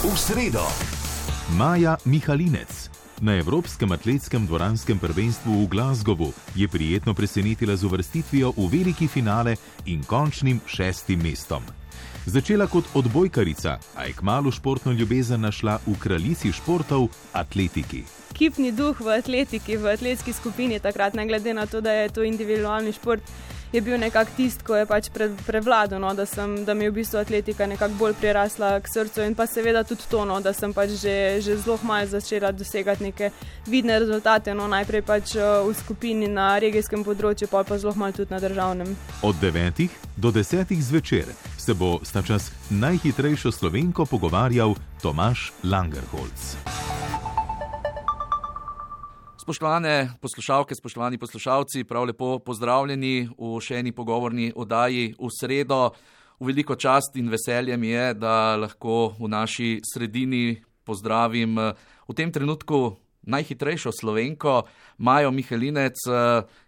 V sredo. Maja Mihalinec. Na Evropskem atletskem dvoranskem prvenstvu v Glasgowu je prijetno presenetila z uvrstitvijo v veliki finale in končnim 6. mestom. Začela kot odbojkarica, a je kmalu športno ljubezen našla v kraljici športov atletiki. Ekipni duh v atletiki, v atletski skupini takrat, ne glede na to, da je to individualni šport, je bil nekako tisto, ko je pač prevladal, no, da mi je v bistvu atletika nekako bolj prirasla k srcu in pa seveda tudi to, no, da sem pač že zelo malo začela dosegati neke vidne rezultate, no, najprej pač v skupini na regijskem področju, pa zelo malo tudi na državnem. Od 9 do 10 zvečer se bo sta čas najhitrejšo Slovenko pogovarjal Tomaž Langerholz. Spoštovane poslušalke, spoštovani poslušalci, prav lepo pozdravljeni v še eni pogovorni oddaji v sredo. V veliko čast in veselje mi je, da lahko v naši sredini pozdravim v tem trenutku najhitrejšo Slovenko, Majo Mihalinec,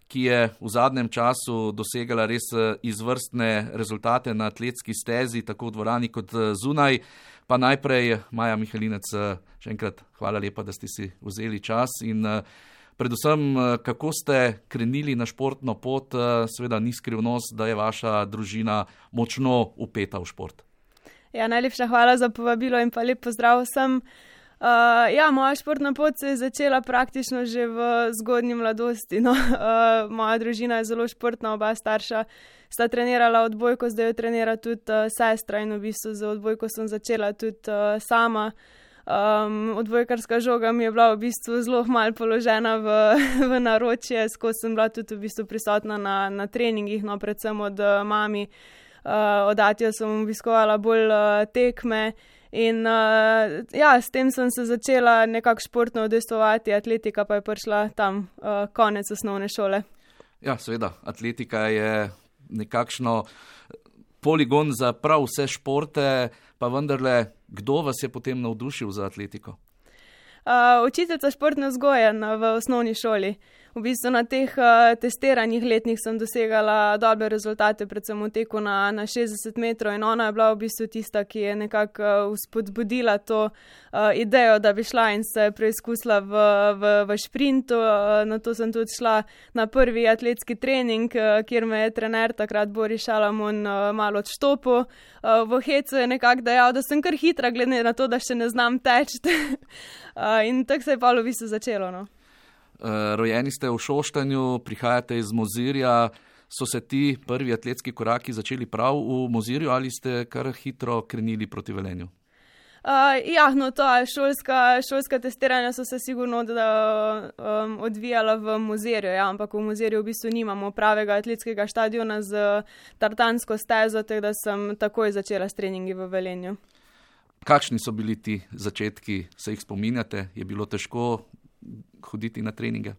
ki je v zadnjem času dosegala res izvrstne rezultate na atletski stezi, tako v dvorani kot zunaj. Pa najprej, Maja Mihalinec, še enkrat hvala lepa, da ste si vzeli čas in predvsem, kako ste krenili na športno pot, seveda ni skrivnost, da je vaša družina močno vpeta v šport. Ja, najlepša hvala za povabilo in pa lep pozdrav vsem. Moja športna pot se je začela praktično že v zgodnji mladosti. No. Moja družina je zelo športna, oba starša sta trenirala odbojko, zdaj jo trenira tudi sestra in v bistvu za odbojko sem začela tudi sama. Odbojkarska žoga mi je bila v bistvu zelo malo položena v naročje, skozi sem bila tudi v bistvu prisotna na treningih, no, predvsem od mami. Od atijo sem obiskovala bolj tekme. In s tem sem se začela nekako športno udejstvovati, atletika pa je prišla tam konec osnovne šole. Ja, seveda, atletika je nekakšno poligon za prav vse športe, pa vendarle, kdo vas je potem navdušil za atletiko? Učiteljica športne vzgoje v osnovni šoli. V bistvu na teh testiranjih letnih sem dosegala dobre rezultate, predvsem v teku na 60 metrov in ona je bila v bistvu tista, ki je nekako spodbudila to idejo, da bi šla in se preizkusila v šprintu. Na to sem tudi šla na prvi atletski trening, kjer me je trener takrat Boris Šalamun malo odštopil. V hecu je nekako dejal, da sem kar hitra, glede na to, da še ne znam teči. In tako se je pa v bistvu začelo, no. Rojeni ste v Šoštanju, prihajate iz Mozirja. So se ti prvi atletski koraki začeli prav v Mozirju ali ste kar hitro krenili proti Velenju? Šolska testiranja so se sigurno odvijala v Mozirju, ampak v Mozirju v bistvu nimamo pravega atletskega štadiona z tartansko stezo, tako da sem takoj začela s treningi v Velenju. Kakšni so bili ti začetki, se jih spominjate? Je bilo težko hoditi na treninge?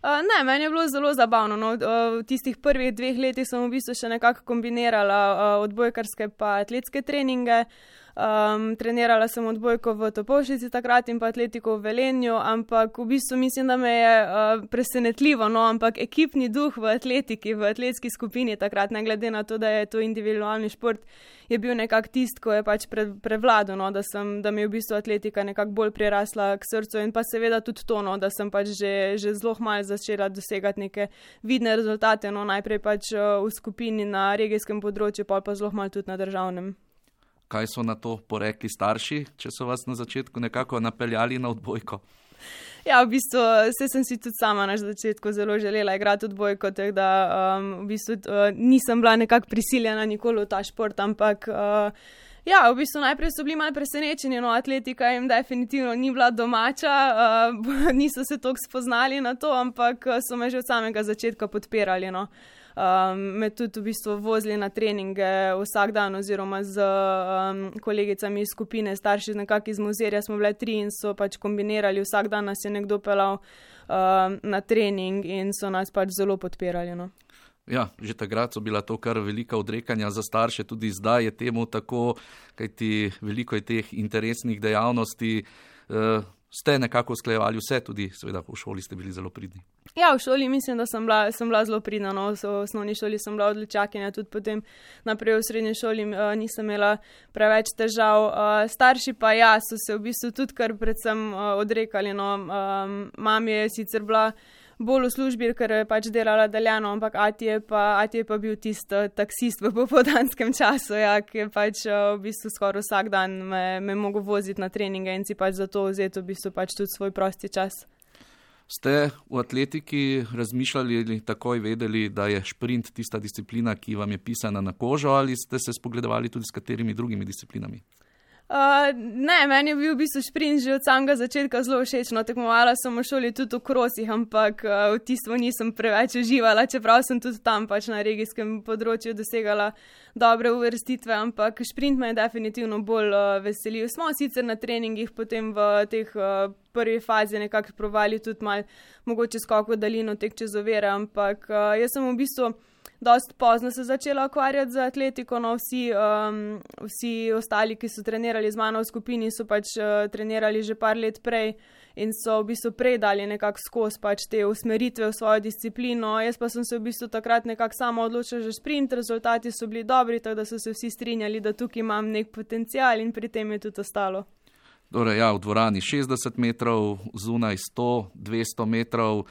Ne, meni je bilo zelo zabavno. No. V tistih prvih 2 letih sem v bistvu še nekako kombinirala odbojkarske pa atletske treninge. Trenirala sem odbojko v Topolšici takrat in pa atletiko v Velenju, ampak v bistvu mislim, da me je presenetljivo, no, ampak ekipni duh v atletiki, v atletski skupini takrat, ne glede na to, da je to individualni šport, je bil nekako tisto, ko je pač prevladal, no, da mi je v bistvu atletika nekako bolj prirasla k srcu in pa seveda tudi to, no, da sem pač že zelo malo začela dosegati neke vidne rezultate, no, najprej pač v skupini na regijskem področju, pa zelo malo tudi na državnem. Kaj so na to porekli starši, če so vas na začetku nekako napeljali na odbojko? Ja, v bistvu sem si tudi sama na začetku zelo želela igrati odbojko, tako da v bistvu nisem bila nekako prisiljena nikoli v ta šport, ampak v bistvu najprej so bili malo presenečeni, no, atletika jim definitivno ni bila domača, niso se toliko spoznali na to, ampak so me že od samega začetka podpirali, no. Me tudi v bistvu vozili na treninge vsak dan oziroma z kolegicami iz skupine, starši nekako iz Mozirja smo bile 3 in so pač kombinirali, vsak dan nas je nekdo pelal na trening in so nas pač zelo podpirali, no. Ja, že takrat so bila to kar velika odrekanja za starše, tudi zdaj je temu tako, kajti veliko je teh interesnih dejavnosti. ste nekako usklajevali vse, tudi seveda v šoli ste bili zelo pridni. Ja, v šoli mislim, da sem bila zelo pridna, no. V osnovni šoli sem bila odličakinja, tudi potem naprej v srednji šoli nisem imela preveč težav. Starši pa so se v bistvu tudi kar predvsem odrekali, no. Mami je sicer bila bolj v službi, ker je pač delala daljano, ampak ati je pa bil tisti taksist v popoldanskem času, ki je pač v bistvu skoraj vsak dan me mogel voziti na treninge in si pač za to vzeti v bistvu pač tudi svoj prosti čas. Ste v atletiki razmišljali ali takoj vedeli, da je šprint tista disciplina, ki vam je pisana na kožo, ali ste se spogledovali tudi s katerimi drugimi disciplinami? Ne, meni je bil v bistvu šprint že od samega začetka zelo všečno. Tekmovala sem v šoli tudi v krosih, ampak v tisto nisem preveč uživala, čeprav sem tudi tam pač na regijskem področju dosegala dobre uvrstitve, ampak šprint me je definitivno bolj veselil. Smo sicer na treningih potem v teh prvi fazi nekako provali tudi malo mogoče skok v daljino, tek čez ovire, ampak jaz sem v bistvu dosti pozno se začela ukvarjati z atletiko, no vsi ostali, ki so trenirali z mano v skupini, so pač trenirali že par let prej in so v bistvu prej dali nekako skozi pač te usmeritve v svojo disciplino. Jaz pa sem se v bistvu takrat nekako sama odločila že šprint, rezultati so bili dobri, tako da so se vsi strinjali, da tukaj imam nek potencial in pri tem je tudi ostalo. Torej, v dvorani 60 metrov, zunaj 100, 200 metrov.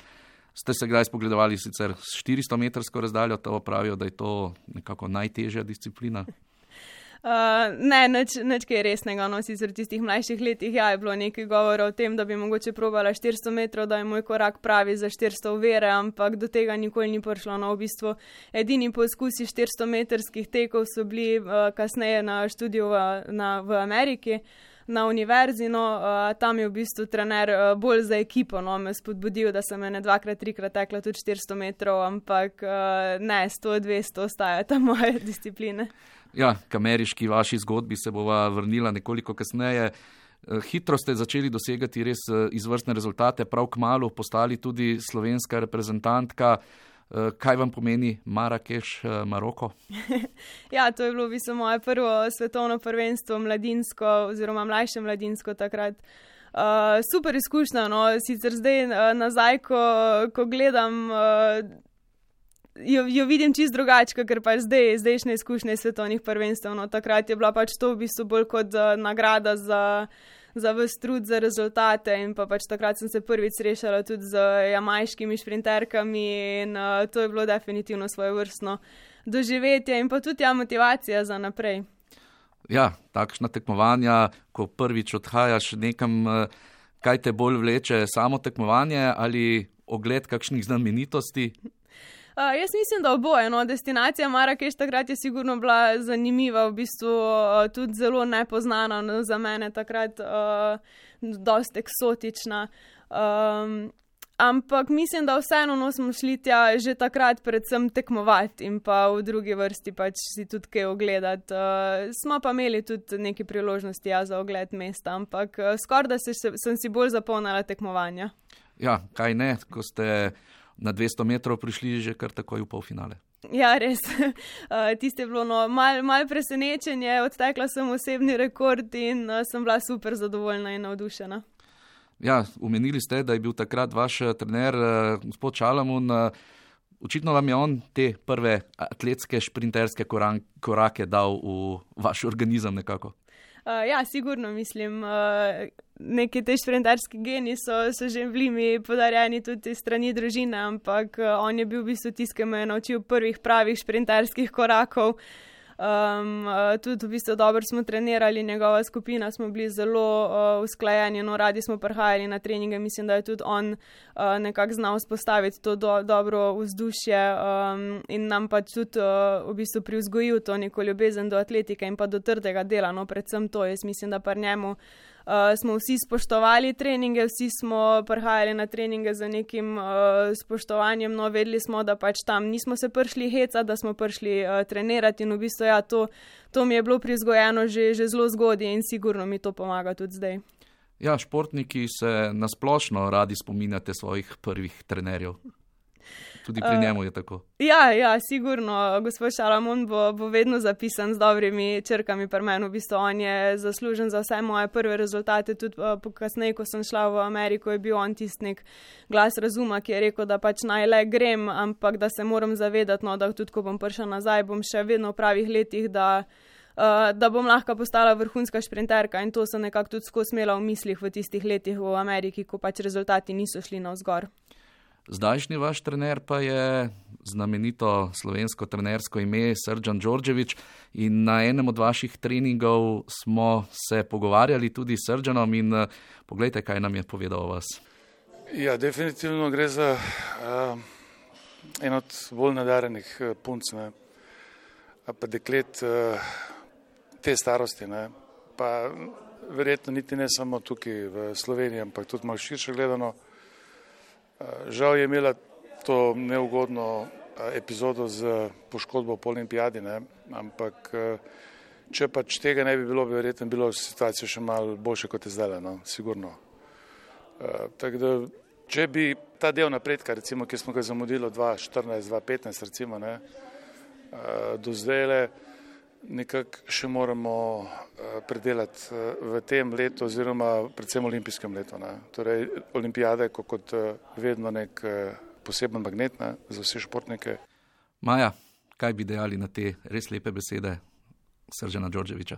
Ste se kdaj spogledovali sicer s 400-metrsko razdaljo, to pravijo, da je to nekako najtežja disciplina? Ne, nič kaj resnega, no, sicer v tistih mlajših letih je bilo nekaj govora o tem, da bi mogoče probala 400 metrov, da je moj korak pravi za 400 ovire, ampak do tega nikoli ni prišlo. No, v bistvu edini poizkusi 400-metrskih tekov so bili kasneje na študiju v Ameriki, na univerzi, no, tam je v bistvu trener bolj za ekipo, no, me spodbudil, da sem ene 2-3 tekla tudi 400 metrov, ampak ne, 100-200 ostajata moje discipline. Ja, k ameriški vaši zgodbi se bova vrnila nekoliko kasneje. Hitro ste začeli dosegati res izvrstne rezultate, prav kmalu postali tudi slovenska reprezentantka. Kaj vam pomeni Marakeš, Maroko? Ja, to je bilo v bistvu moje prvo svetovno prvenstvo, mladinsko oziroma mlajše mladinsko takrat. Super izkušnja, no, sicer zdaj nazaj, ko gledam, jo vidim čisto drugače, ker pač zdajšnje izkušnje svetovnih prvenstv. No, takrat je bila pač to v bistvu bolj kot nagrada za ves trud, za rezultate in pa pač takrat sem se prvič srečala tudi z jamajškimi šprinterkami in to je bilo definitivno svojevrstno doživetje in pa tudi motivacija za naprej. Ja, takšna tekmovanja, ko prvič odhajaš nekam, kaj te bolj vleče, samo tekmovanje ali ogled kakšnih znamenitosti? Jaz mislim, da oboje, no, destinacija Marakeš takrat je sigurno bila zanimiva, v bistvu tudi zelo nepoznana, no, za mene takrat dosti eksotična, ampak mislim, da vseeno smo šli tja že takrat predvsem tekmovati in pa v drugi vrsti pač si tudi kaj ogledati. Smo pa imeli tudi neke priložnosti za ogled mesta, ampak skoraj da sem si bolj zapomnila tekmovanja. Ja, kaj ne, ko ste na 200 metrov prišli že kar takoj v polfinale. Ja, res. Tiste je bilo malo presenečenje, odtekla sem osebni rekord in sem bila super zadovoljna in navdušena. Ja, omenili ste, da je bil takrat vaš trener, gospod Čalamun. Očitno vam je on te prve atletske šprinterske korake dal v vaš organizem nekako. Ja, sigurno mislim. Neki te šprinterski geni so že bili mi podarjeni tudi strani družine, ampak on je bil v bistvu tisti, ki me je naučil prvih pravih šprinterskih korakov. Tudi v bistvu dobro smo trenirali, njegova skupina smo bili zelo usklajeni, no, radi smo prihajali na treninge, mislim, da je tudi on nekako znal vzpostaviti to dobro vzdušje in nam pa tudi v bistvu privzgojil to neko ljubezen do atletike in pa do trdega dela, no, predvsem to, jaz mislim, da pri njemu smo vsi spoštovali treninge, vsi smo prihajali na treninge z nekim spoštovanjem, no, vedeli smo, da pač tam nismo se prišli hecati, da smo prišli trenirati in v bistvu ja, to mi je bilo privzgojeno že zelo zgodaj in sigurno mi to pomaga tudi zdaj. Ja, športniki se nasplošno radi spominjate svojih prvih trenerjev. Tudi pri njemu je tako. Ja, sigurno. Gospod Šalamon bo vedno zapisan z dobrimi črkami pri meni. V bistvu on je zaslužen za vse moje prve rezultate. Tudi kasneje, ko sem šla v Ameriko, je bil on tisti nek glas razuma, ki je rekel, da pač naj le grem, ampak da se moram zavedati, no, da tudi ko bom prišla nazaj, bom še vedno v pravih letih, da bom lahko postala vrhunska šprinterka, in to sem nekako tudi skozi imela v mislih v tistih letih v Ameriki, ko pač rezultati niso šli navzgor. Zdajšnji vaš trener pa je znamenito slovensko trenersko ime Srdjan Đorđević in na enem od vaših treningov smo se pogovarjali tudi s Srdjanom in poglejte, kaj nam je povedal o vas. Ja, definitivno gre za en od bolj nadarenih punc, ne, pa deklet te starosti, ne, pa verjetno niti ne samo tukaj v Sloveniji, ampak tudi malo širše gledano. Žal je imela to neugodno epizodo z poškodbo po olimpijadi, ne? Ampak če pač tega ne bi bilo, bi verjetno bilo situacija še malo boljše, kot je zdaj, no? Sigurno. Tako da, če bi ta del napredka, recimo, ki smo ga zamudili 2014-2015, recimo, ne, do zdaj nekako še moramo predelati v tem letu oziroma predvsem olimpijskem letu. Ne. Torej, olimpijada je kot vedno nek poseben magnet, ne, za vse športnike. Maja, kaj bi dejali na te res lepe besede Srdjana Đorđevića?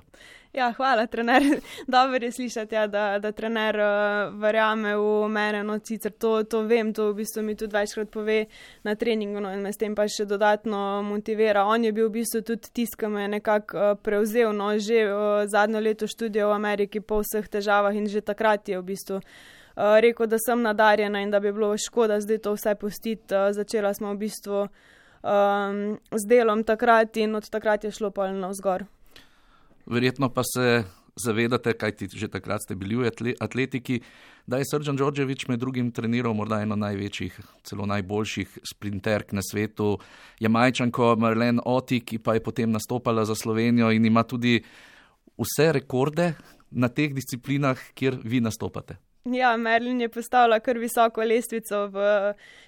Ja, hvala, trener. Dobro je slišati, ja, da trener verjame v mene. No, sicer to vem, to v bistvu mi tudi večkrat pove na treningu, no, in me s tem pa še dodatno motivira. On je bil v bistvu tudi tisti, ki me je nekako prevzel, no, že zadnjo leto študija v Ameriki po vseh težavah, in že takrat je v bistvu rekel, da sem nadarjena in da bi bilo škoda zdaj to vse pustiti. Začela smo v bistvu z delom takrat in od takrat je šlo pa navzgor. Verjetno pa se zavedate, kajti že takrat ste bili v atletiki, da je Srdjan Đorđević med drugim treniral morda eno največjih, celo najboljših sprinterk na svetu, Jamajčanko Marlene Ottey, ki pa je potem nastopala za Slovenijo in ima tudi vse rekorde na teh disciplinah, kjer vi nastopate. Ja, Merlin je postavila kar visoko lestvico v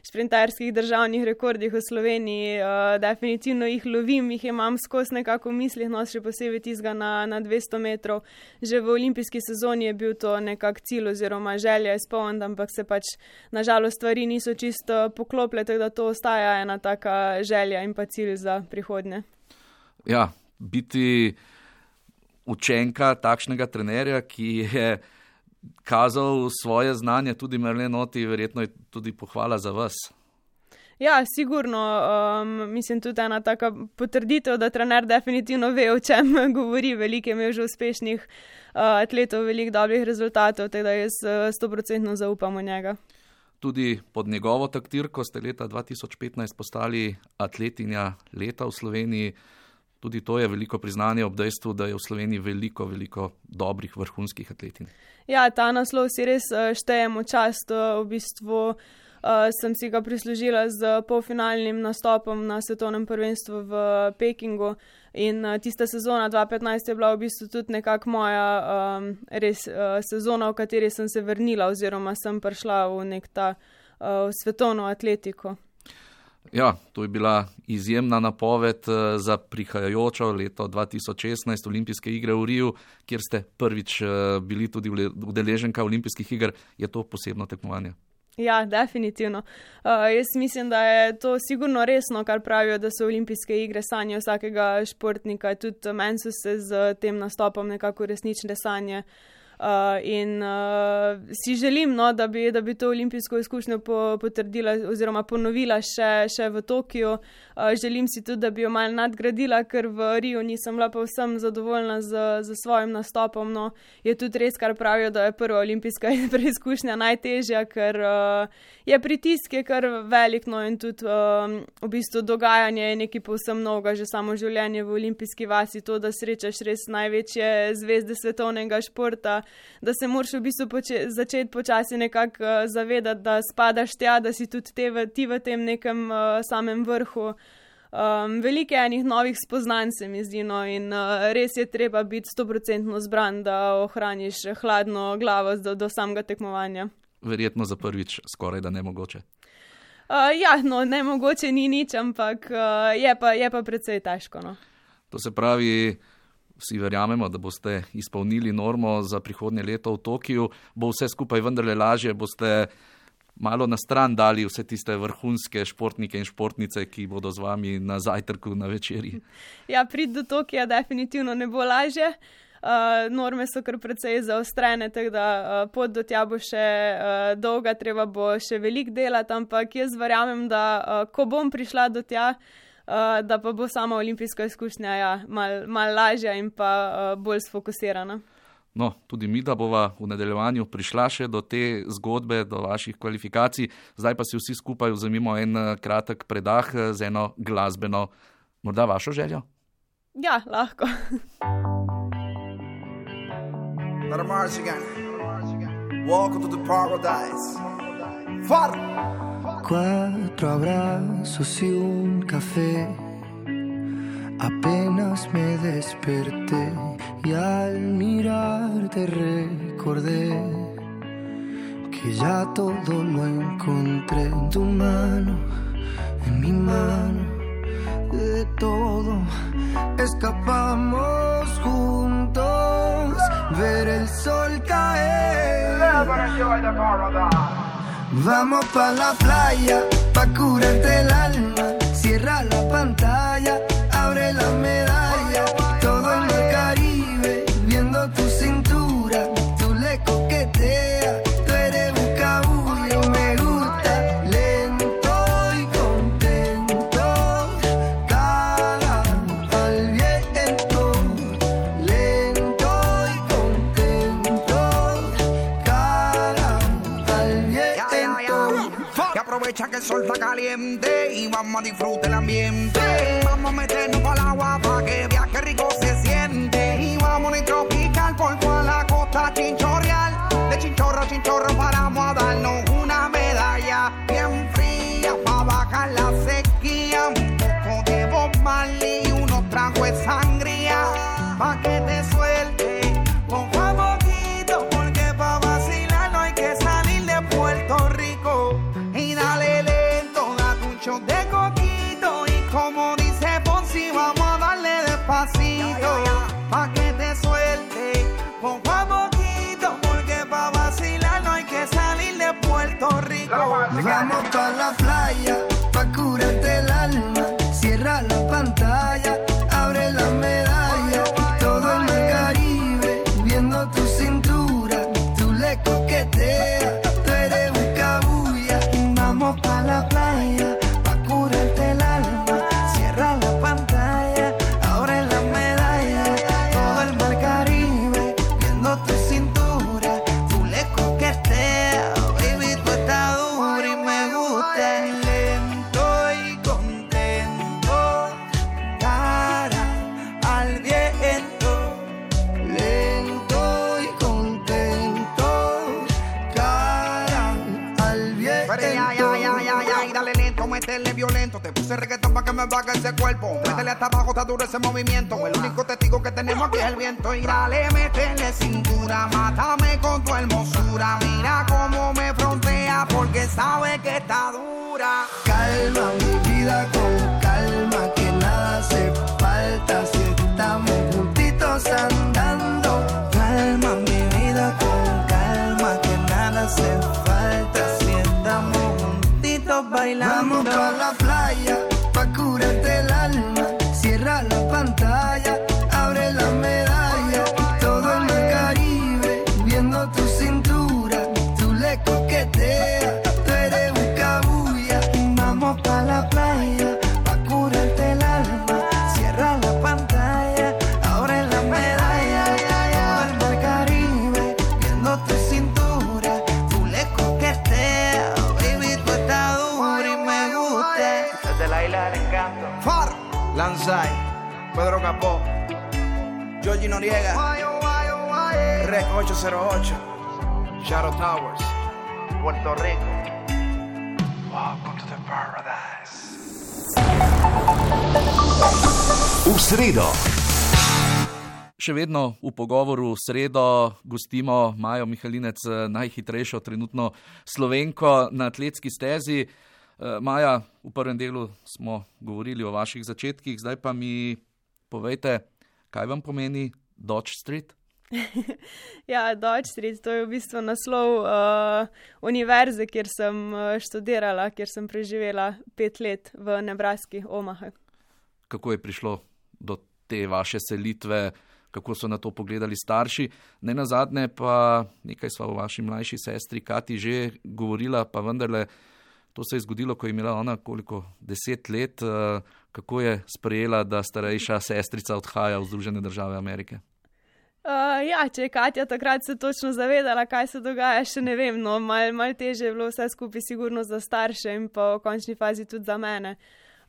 šprinterskih državnih rekordih v Sloveniji. Definitivno jih lovim, jih imam skozi nekako v mislih, no, še posebej tistega na 200 metrov. Že v olimpijski sezoni je bil to nekak cilj oziroma želja izpolniti, ampak se pač nažalost stvari niso čisto poklopile, tako da to ostaja ena taka želja in pa cilj za prihodnje. Ja, biti učenka takšnega trenerja, ki je kazal svoje znanje, tudi Marlene Ottey, verjetno je tudi pohvala za vas. Ja, sigurno. Mislim, tudi ena taka potrditev, da trener definitivno ve, o čem govori. Veliko je imel že uspešnih atletov, veliko dobrih rezultatov, tako da jaz 100% zaupam v njega. Tudi pod njegovo taktirko ste leta 2015 postali atletinja leta v Sloveniji. Tudi to je veliko priznanje ob dejstvu, da je v Sloveniji veliko dobrih vrhunskih atletin. Ja, ta naslov si res štejemo čast. V bistvu sem si ga prislužila z polfinalnim nastopom na svetovnem prvenstvu v Pekingu in tista sezona 2015 je bila v bistvu tudi nekako moja res sezona, v kateri sem se vrnila oziroma sem prišla v nek ta svetovno atletiko. Ja, to je bila izjemna napoved za prihajajočo leto 2016 olimpijske igre v Riju, kjer ste prvič bili tudi udeleženka olimpijskih iger. Je to posebno tekmovanje? Ja, definitivno. Jaz mislim, da je to sigurno resno, kar pravijo, da so olimpijske igre sanje vsakega športnika. Tudi meni so se z tem nastopom nekako resnične sanje. In si želim, no, da bi to olimpijsko izkušnjo potrdila oziroma ponovila še v Tokiu. Želim si tudi, da bi jo malo nadgradila, ker v Riju nisem bila povsem zadovoljna z svojim nastopom. No. Je tudi res, kar pravijo, da je prva olimpijska preizkušnja najtežja, ker je pritisk je kar velik, no, in tudi v bistvu dogajanje je nekaj povsem novega, že samo življenje v olimpijski vasi, to, da srečaš res največje zvezde svetovnega športa, da se moraš v bistvu začeti počasi nekako zavedati, da spadaš tja, da si tudi ti v tem nekem samem vrhu. Veliko enih novih spoznanj se mi zdi, no, in res je treba biti 100% zbran, da ohraniš hladno glavo do samega tekmovanja. Verjetno za prvič skoraj da nemogoče. Ne mogoče ni nič, ampak je pa precej težko. No. To se pravi, vsi verjamemo, da boste izpolnili normo za prihodnje leto v Tokiu, bo vse skupaj vendarle lažje, boste malo na stran dali vse tiste vrhunske športnike in športnice, ki bodo z vami na zajtrku, na večerji. Ja, priti do Tokija definitivno ne bo lažje. Norme so kar precej zaostrene, tako da pot do tja bo še dolga, treba bo še veliko delati, ampak jaz verjamem, da ko bom prišla do tja, da pa bo sama olimpijska izkušnja mal lažja in pa bolj sfokusirana. No, tudi mi, da bova v nadaljevanju prišla še do te zgodbe, do vaših kvalifikacij. Zdaj pa si vsi skupaj vzemimo en kratek predah z eno glasbeno, morda vašo željo? Ja, lahko. Let them march again. Welcome to the paradise. Far. 4 abrazos y un café. Apenas me desperté y al mirarte recordé que ya todo lo encontré en tu mano, en mi mano, de todo escapamos juntos, ver el sol caer. Vamos pa' la playa, pa' curarte el alma, cierra la pantalla, abre la medalla, todo en el Caribe, viendo tu cintura, tú le coqueteas, tú eres un cabullo, me gusta, lento y contento, cara al viento, lento y contento, cara al viento. Que aprovecha que el sol está caliente y vamos a disfrutar el ambiente. Vamos a meternos al agua pa' que veas que rico se siente. Y vamos a tropical por toda la costa chinchorreal. De chinchorro a chinchorro paramos a darnos una medalla bien fría pa' bajar la sequía. Un poco de Bob Marley y unos tragos de sangría pa' que te suelte poco a poquito, porque pa' vacilar no hay que salir de Puerto Rico. Y dale lento, date un shot de coquito y como dice Fonsi, vamos a darle despacito pa' que te suelte poco a poquito, porque pa' vacilar no hay que salir de Puerto Rico. Vamos pa' la playa, pa' curarte el alma, cierra la pantalla, abre la medalla, todo en el Caribe, viendo tu cintura, tú le coqueteas, tú eres un cabulla. Vamos pa' la playa, pa' curarte el alma, cierra la pantalla, abre la medalla, todo el mar Caribe, viendo tu cintura, tú le coqueteas, baby, tú estás dura y me gusta. Lento y contento, cara al viento, lento y contento, cara al viento. Y dale lento, métele violento, te puse reggaetón pa' que me baje ese cuerpo, métele hasta abajo, está duro ese movimiento, el único testigo que tenemos aquí es el viento. Y dale, métele cintura, mátame con tu hermosura, mira cómo me frontea porque sabe que está dura. Calma mi vida con calma, que nada hace falta si estamos juntitos andando. Calma mi vida con calma, que nada hace falta si estamos juntitos bailando. Vamos pa' la playa, pa' curarte el alma, cierra la pantalla, abre la medalla, todo en el Caribe, viendo tu cintura, tú le coqueteas, tú eres un cabulla. Vamos pa' la playa, pa' curarte el alma, cierra la pantalla, abre la medalla, todo en el Caribe, viendo tu cintura, tú le coqueteas, baby, tú estás dura y me gusta. Desde la isla del encanto. Far, Lanzai, Pedro Capó, Georgie Noriega, Rec 808, Shadow Towers, Puerto Rico. Welcome to the paradise. V sredo. Še vedno v pogovoru v sredo gostimo Majo Mihalinec, najhitrejšo trenutno Slovenko na atletski stezi. Maja, v prvem delu smo govorili o vaših začetkih, zdaj pa mi povejte, kaj vam pomeni Dodge Street? Ja, Dodge Street, to je v bistvu naslov univerze, kjer sem študirala, kjer sem preživela 5 let v Nebraski, Omaha. Kako je prišlo do te vaše selitve, kako so na to pogledali starši? Ne nazadnje pa nekaj sva o vaši mlajši sestri Kati že govorila, pa vendarle to se je zgodilo, ko je imela ona 10 let. Kako je sprejela, da starejša sestrica odhaja v Združene države Amerike? Ja, če je Katja takrat se točno zavedala, kaj se dogaja, še ne vem, no, malo teže je bilo vse skupaj sigurno za starše in pa v končni fazi tudi za mene.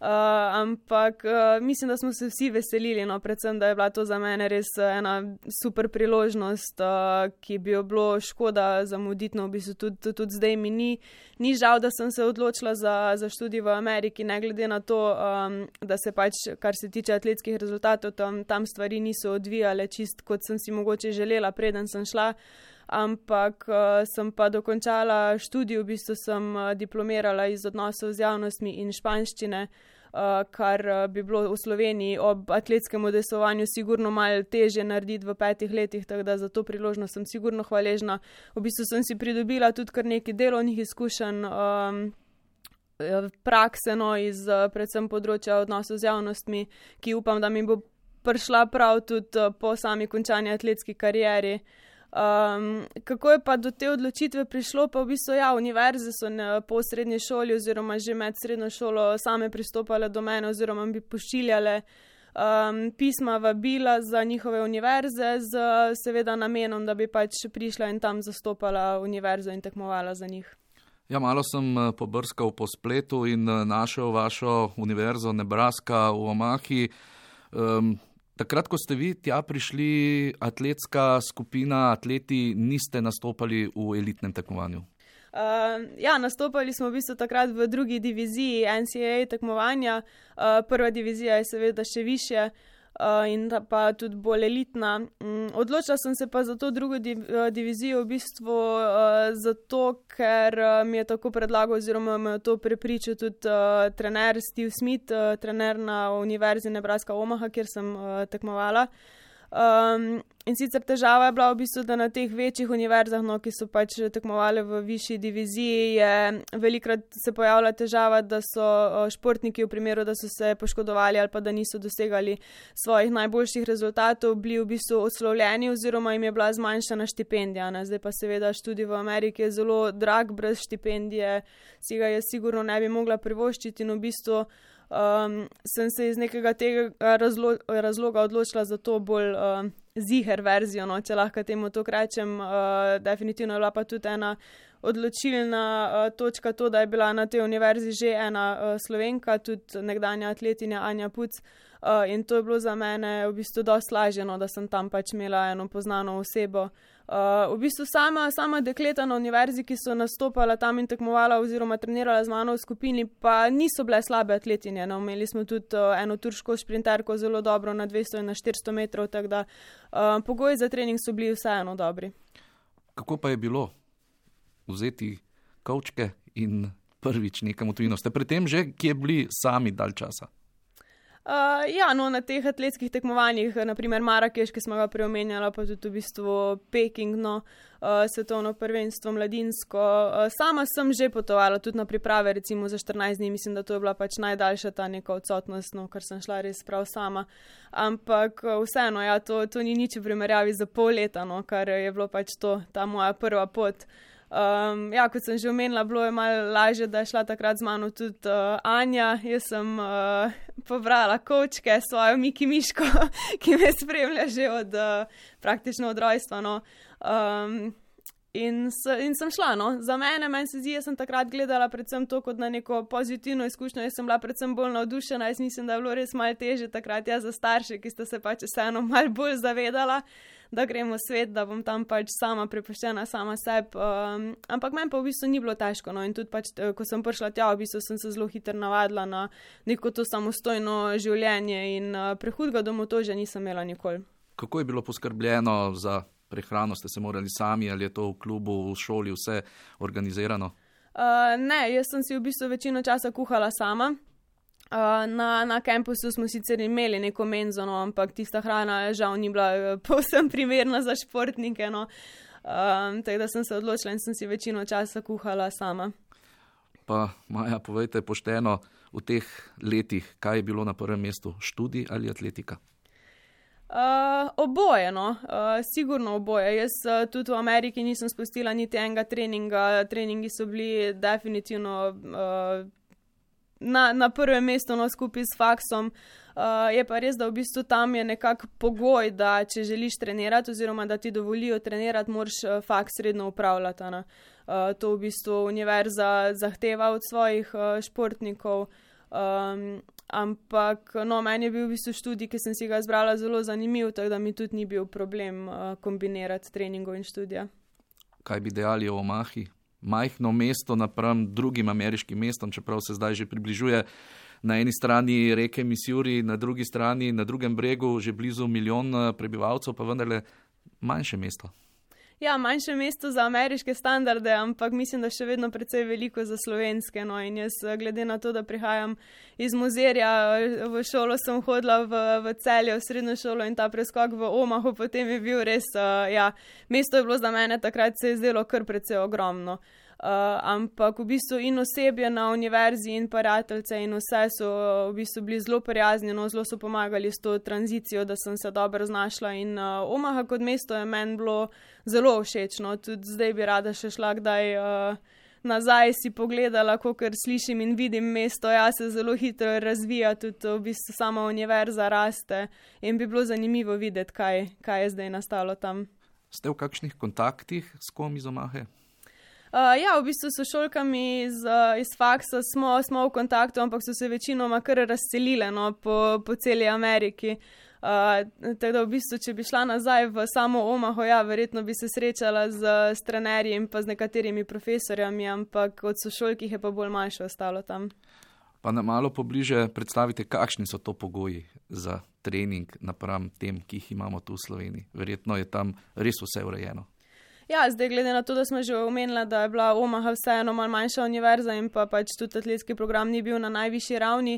Ampak mislim, da smo se vsi veselili, no, predvsem, da je bila to za mene res ena super priložnost, ki bi jo bilo škoda zamuditi, no, v bistvu tudi zdaj mi ni žal, da sem se odločila za študij v Ameriki, ne glede na to, da se pač, kar se tiče atletskih rezultatov, tam stvari niso odvijale čist, kot sem si mogoče želela, preden sem šla. Ampak sem pa dokončala študij, v bistvu sem diplomirala iz odnosov z javnostmi in španščine, kar bi bilo v Sloveniji ob atletskem udejstvovanju sigurno malo težje narediti v 5 letih, tako da za to priložnost sem sigurno hvaležna. V bistvu sem si pridobila tudi kar nekaj delovnih izkušenj, prakse, no, iz predvsem področja odnosov z javnostmi, ki upam, da mi bo prišla prav tudi po sami končani atletski karieri. Kako je pa do te odločitve prišlo, pa v bistvu ja, univerze so po srednji šoli oziroma že med srednjo šolo same pristopale do mene oziroma bi pošiljale pisma vabila za njihove univerze z seveda namenom, da bi pač prišla in tam zastopala univerzo in tekmovala za njih. Ja, malo sem pobrskal po spletu in našel vašo univerzo Nebraska v Omahi. Takrat, ko ste vi tja prišli, atletska skupina, atleti, niste nastopali v elitnem tekmovanju? Ja, nastopali smo v bistvu takrat v drugi diviziji NCAA tekmovanja. Prva divizija je seveda še višje in pa tudi bolj elitna. Odločila sem se pa za to drugo divizijo v bistvu zato, ker mi je tako predlagal oziroma me je to prepričal tudi trener Steve Smith, trener na univerzi Nebraska Omaha, kjer sem tekmovala. In sicer težava je bila v bistvu, da na teh večjih univerzah, no, ki so pač tekmovali v višji diviziji, je velikrat se pojavila težava, da so športniki v primeru, da so se poškodovali ali pa da niso dosegali svojih najboljših rezultatov, bili v bistvu odslovljeni oziroma jim je bila zmanjšana štipendija. Ne? Zdaj pa seveda študij v Ameriki je zelo drag, brez štipendije si ga je sigurno ne bi mogla privoščiti in v bistvu sem se iz nekega tega razloga odločila za to bolj ziher verzijo, no, če lahko temu to rečem. Definitivno je bila pa tudi ena odločilna točka to, da je bila na tej univerzi že ena Slovenka, tudi nekdanja atletinja Anja Puc, in to je bilo za mene v bistvu dosti lažje, no, da sem tam pač imela eno poznano osebo. V bistvu sama dekleta na univerzi, ki so nastopala tam in tekmovala oziroma trenirala z mano v skupini, pa niso bile slabe atletinje. No. Imeli smo tudi eno turško šprinterko zelo dobro na 200 in na 400 metrov, tako da pogoji za trening so bili vseeno dobri. Kako pa je bilo vzeti kovčke in prvič nekam v tujino? Ste pri tem že kje bili sami dalj časa? Ja, no, na teh atletskih tekmovanjih, naprimer Marakeš, ki smo ga preomenjala, pa tudi v bistvu Peking, no, svetovno prvenstvo mladinsko. Sama sem že potovala tudi na priprave, recimo za 14 dni, mislim, da to je bila pač najdaljša ta neka odsotnost, no, ker sem šla res prav sama. Ampak vseeno, ja, to ni nič v primerjavi za pol leta, no, kar je bilo pač ta moja prva pot. Ja, kot sem že omenila, bilo je malo lažje, da je šla takrat z mano tudi Anja. Jaz sem pobrala kovčke, svojo Miki Miško, ki me spremlja že praktično od rojstva, no. In sem šla, no. Za meni se zdi, jaz sem takrat gledala predvsem to kot na neko pozitivno izkušnjo. Jaz sem bila predvsem bolj navdušena, jaz mislim, da je bilo res malo težje takrat za starše, ki sta se pač vseeno malo bolj zavedala, da gremo v svet, da bom tam pač sama prepuščena sama sebi. Ampak meni pa v bistvu ni bilo težko, no, in tudi pač, ko sem prišla tja, v bistvu sem se zelo hitro navadila na neko to samostojno življenje in prehudega domotožja nisem imela nikoli. Kako je bilo poskrbljeno za prehrano? Ste se morali sami ali je to v klubu, v šoli vse organizirano? Ne, jaz sem si v bistvu večino časa kuhala sama. Na kampusu smo sicer imeli neko menzo, no, ampak tista hrana žal ni bila povsem primerna za športnike. No. Tako da sem se odločila in sem si večino časa kuhala sama. Pa Maja, povejte pošteno, v teh letih, kaj je bilo na prvem mestu, študij ali atletika? Oboje, no. Sigurno oboje. Jaz tudi v Ameriki nisem spustila niti enega treninga. Treningi so bili definitivno na prvem mestu, no, skupaj s faksom. Je pa res, da v bistvu tam je nekak pogoj, da če želiš trenirati oziroma da ti dovolijo trenirati, moraš faks redno upravljati. To v bistvu univerza zahteva od svojih športnikov. Ampak no, meni je bil v bistvu študij, ki sem si ga izbrala, zelo zanimiv, tako da mi tudi ni bil problem kombinirati treningov in študija. Kaj bi dejali o Omahi? Majhno mesto napram drugim ameriškim mestom, čeprav se zdaj že približuje na eni strani reke Missouri, na drugi strani, na drugem bregu, že blizu 1 milijon prebivalcev, pa vendarle manjše mesto. Ja, manjše mesto za ameriške standarde, ampak mislim, da še vedno precej veliko za slovenske. No, in jaz, glede na to, da prihajam iz Mozirja, v šolo sem hodila v Celje, v srednjo šolo in ta preskok v Omahu, potem je bil res, mesto je bilo za mene takrat se je zdelo kar precej ogromno. Ampak v bistvu in osebje na univerzi in prijateljce in vse so v bistvu bili zelo prijazni, no, zelo so pomagali s to tranzicijo, da sem se dobro znašla in Omaha kot mesto je meni bilo zelo všečno. Tudi zdaj bi rada še šla kdaj nazaj si pogledala, kakor slišim in vidim mesto, ja, se zelo hitro razvija, tudi v bistvu sama univerza raste in bi bilo zanimivo videti, kaj je zdaj nastalo tam. Ste v kakšnih kontaktih s kom iz Omahe? Ja, v bistvu so šolkami iz faksa smo v kontaktu, ampak so se večinoma kar razselile, no, po celi Ameriki. Tako da v bistvu, če bi šla nazaj v samo Omaho, ja, verjetno bi se srečala s trenerji in pa z nekaterimi profesorjami, ampak od sošolkih je pa bolj manjše ostalo tam. Pa nam malo pobliže predstavite, kakšni so to pogoji za trening napram tem, ki jih imamo tu v Sloveniji. Verjetno je tam res vse urejeno. Ja, zdaj glede na to, da smo že omenila, da je bila Omaha vseeno malo manjša univerza in pa pač tudi atletski program ni bil na najvišji ravni,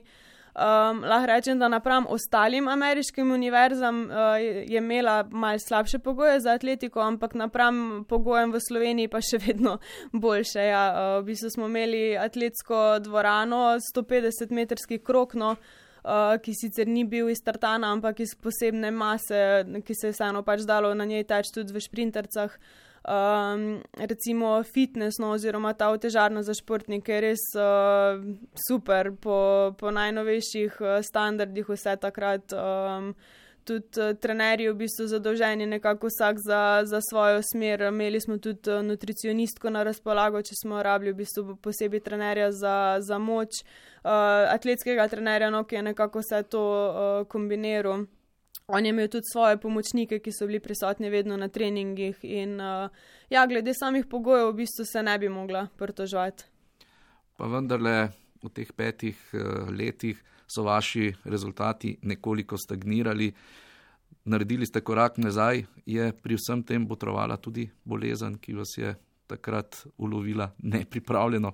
lahko rečem, da napram ostalim ameriškim univerzam je imela malo slabše pogoje za atletiko, ampak napram pogojem v Sloveniji pa še vedno boljše. Ja. V bistvu smo imeli atletsko dvorano, 150-metrski krog, no, ki sicer ni bil iz tartana, ampak iz posebne mase, ki se je vseeno pač dalo na njej teči tudi v šprintercah. Recimo fitness, no, oziroma ta otežarna za športnike je res super po najnovejših standardih vse takrat. Tudi trenerji v bistvu zadolženi nekako vsak za svojo smer. Imeli smo tudi nutricionistko na razpolago, če smo rabili v bistvu posebej trenerja za moč, atletskega trenerja, no, ki je nekako vse to kombiniral. On je imel tudi svoje pomočnike, ki so bili prisotni vedno na treningih in ja, glede samih pogojev v bistvu se ne bi mogla pritoževati. Pa vendarle v teh 5 letih so vaši rezultati nekoliko stagnirali. Naredili ste korak nazaj, je pri vsem tem botrovala tudi bolezen, ki vas je takrat ulovila nepripravljeno?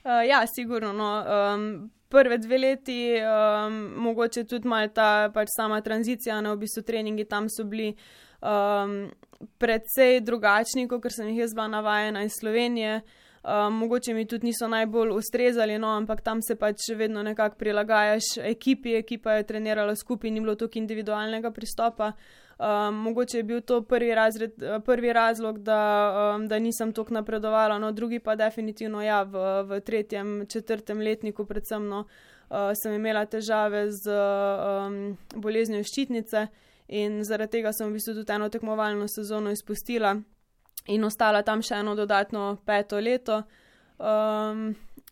Ja, sigurno, no. Prve 2 leti, mogoče tudi malo ta pač sama tranzicija, no, v bistvu treningi tam so bili precej drugačni, kot sem jih jaz bila navajena iz Slovenije. Mogoče mi tudi niso najbolj ustrezali, no, ampak tam se pač vedno nekako prilagajaš ekipi, ekipa je trenirala skupaj, ni bilo toliko individualnega pristopa. Mogoče je bil to prvi razlog, da nisem toliko napredovala, no, drugi pa definitivno ja, v 3., 4. letniku predvsem, no, sem imela težave z boleznijo ščitnice in zaradi tega sem v bistvu tudi eno tekmovalno sezono izpustila in ostala tam še eno dodatno 5. leto.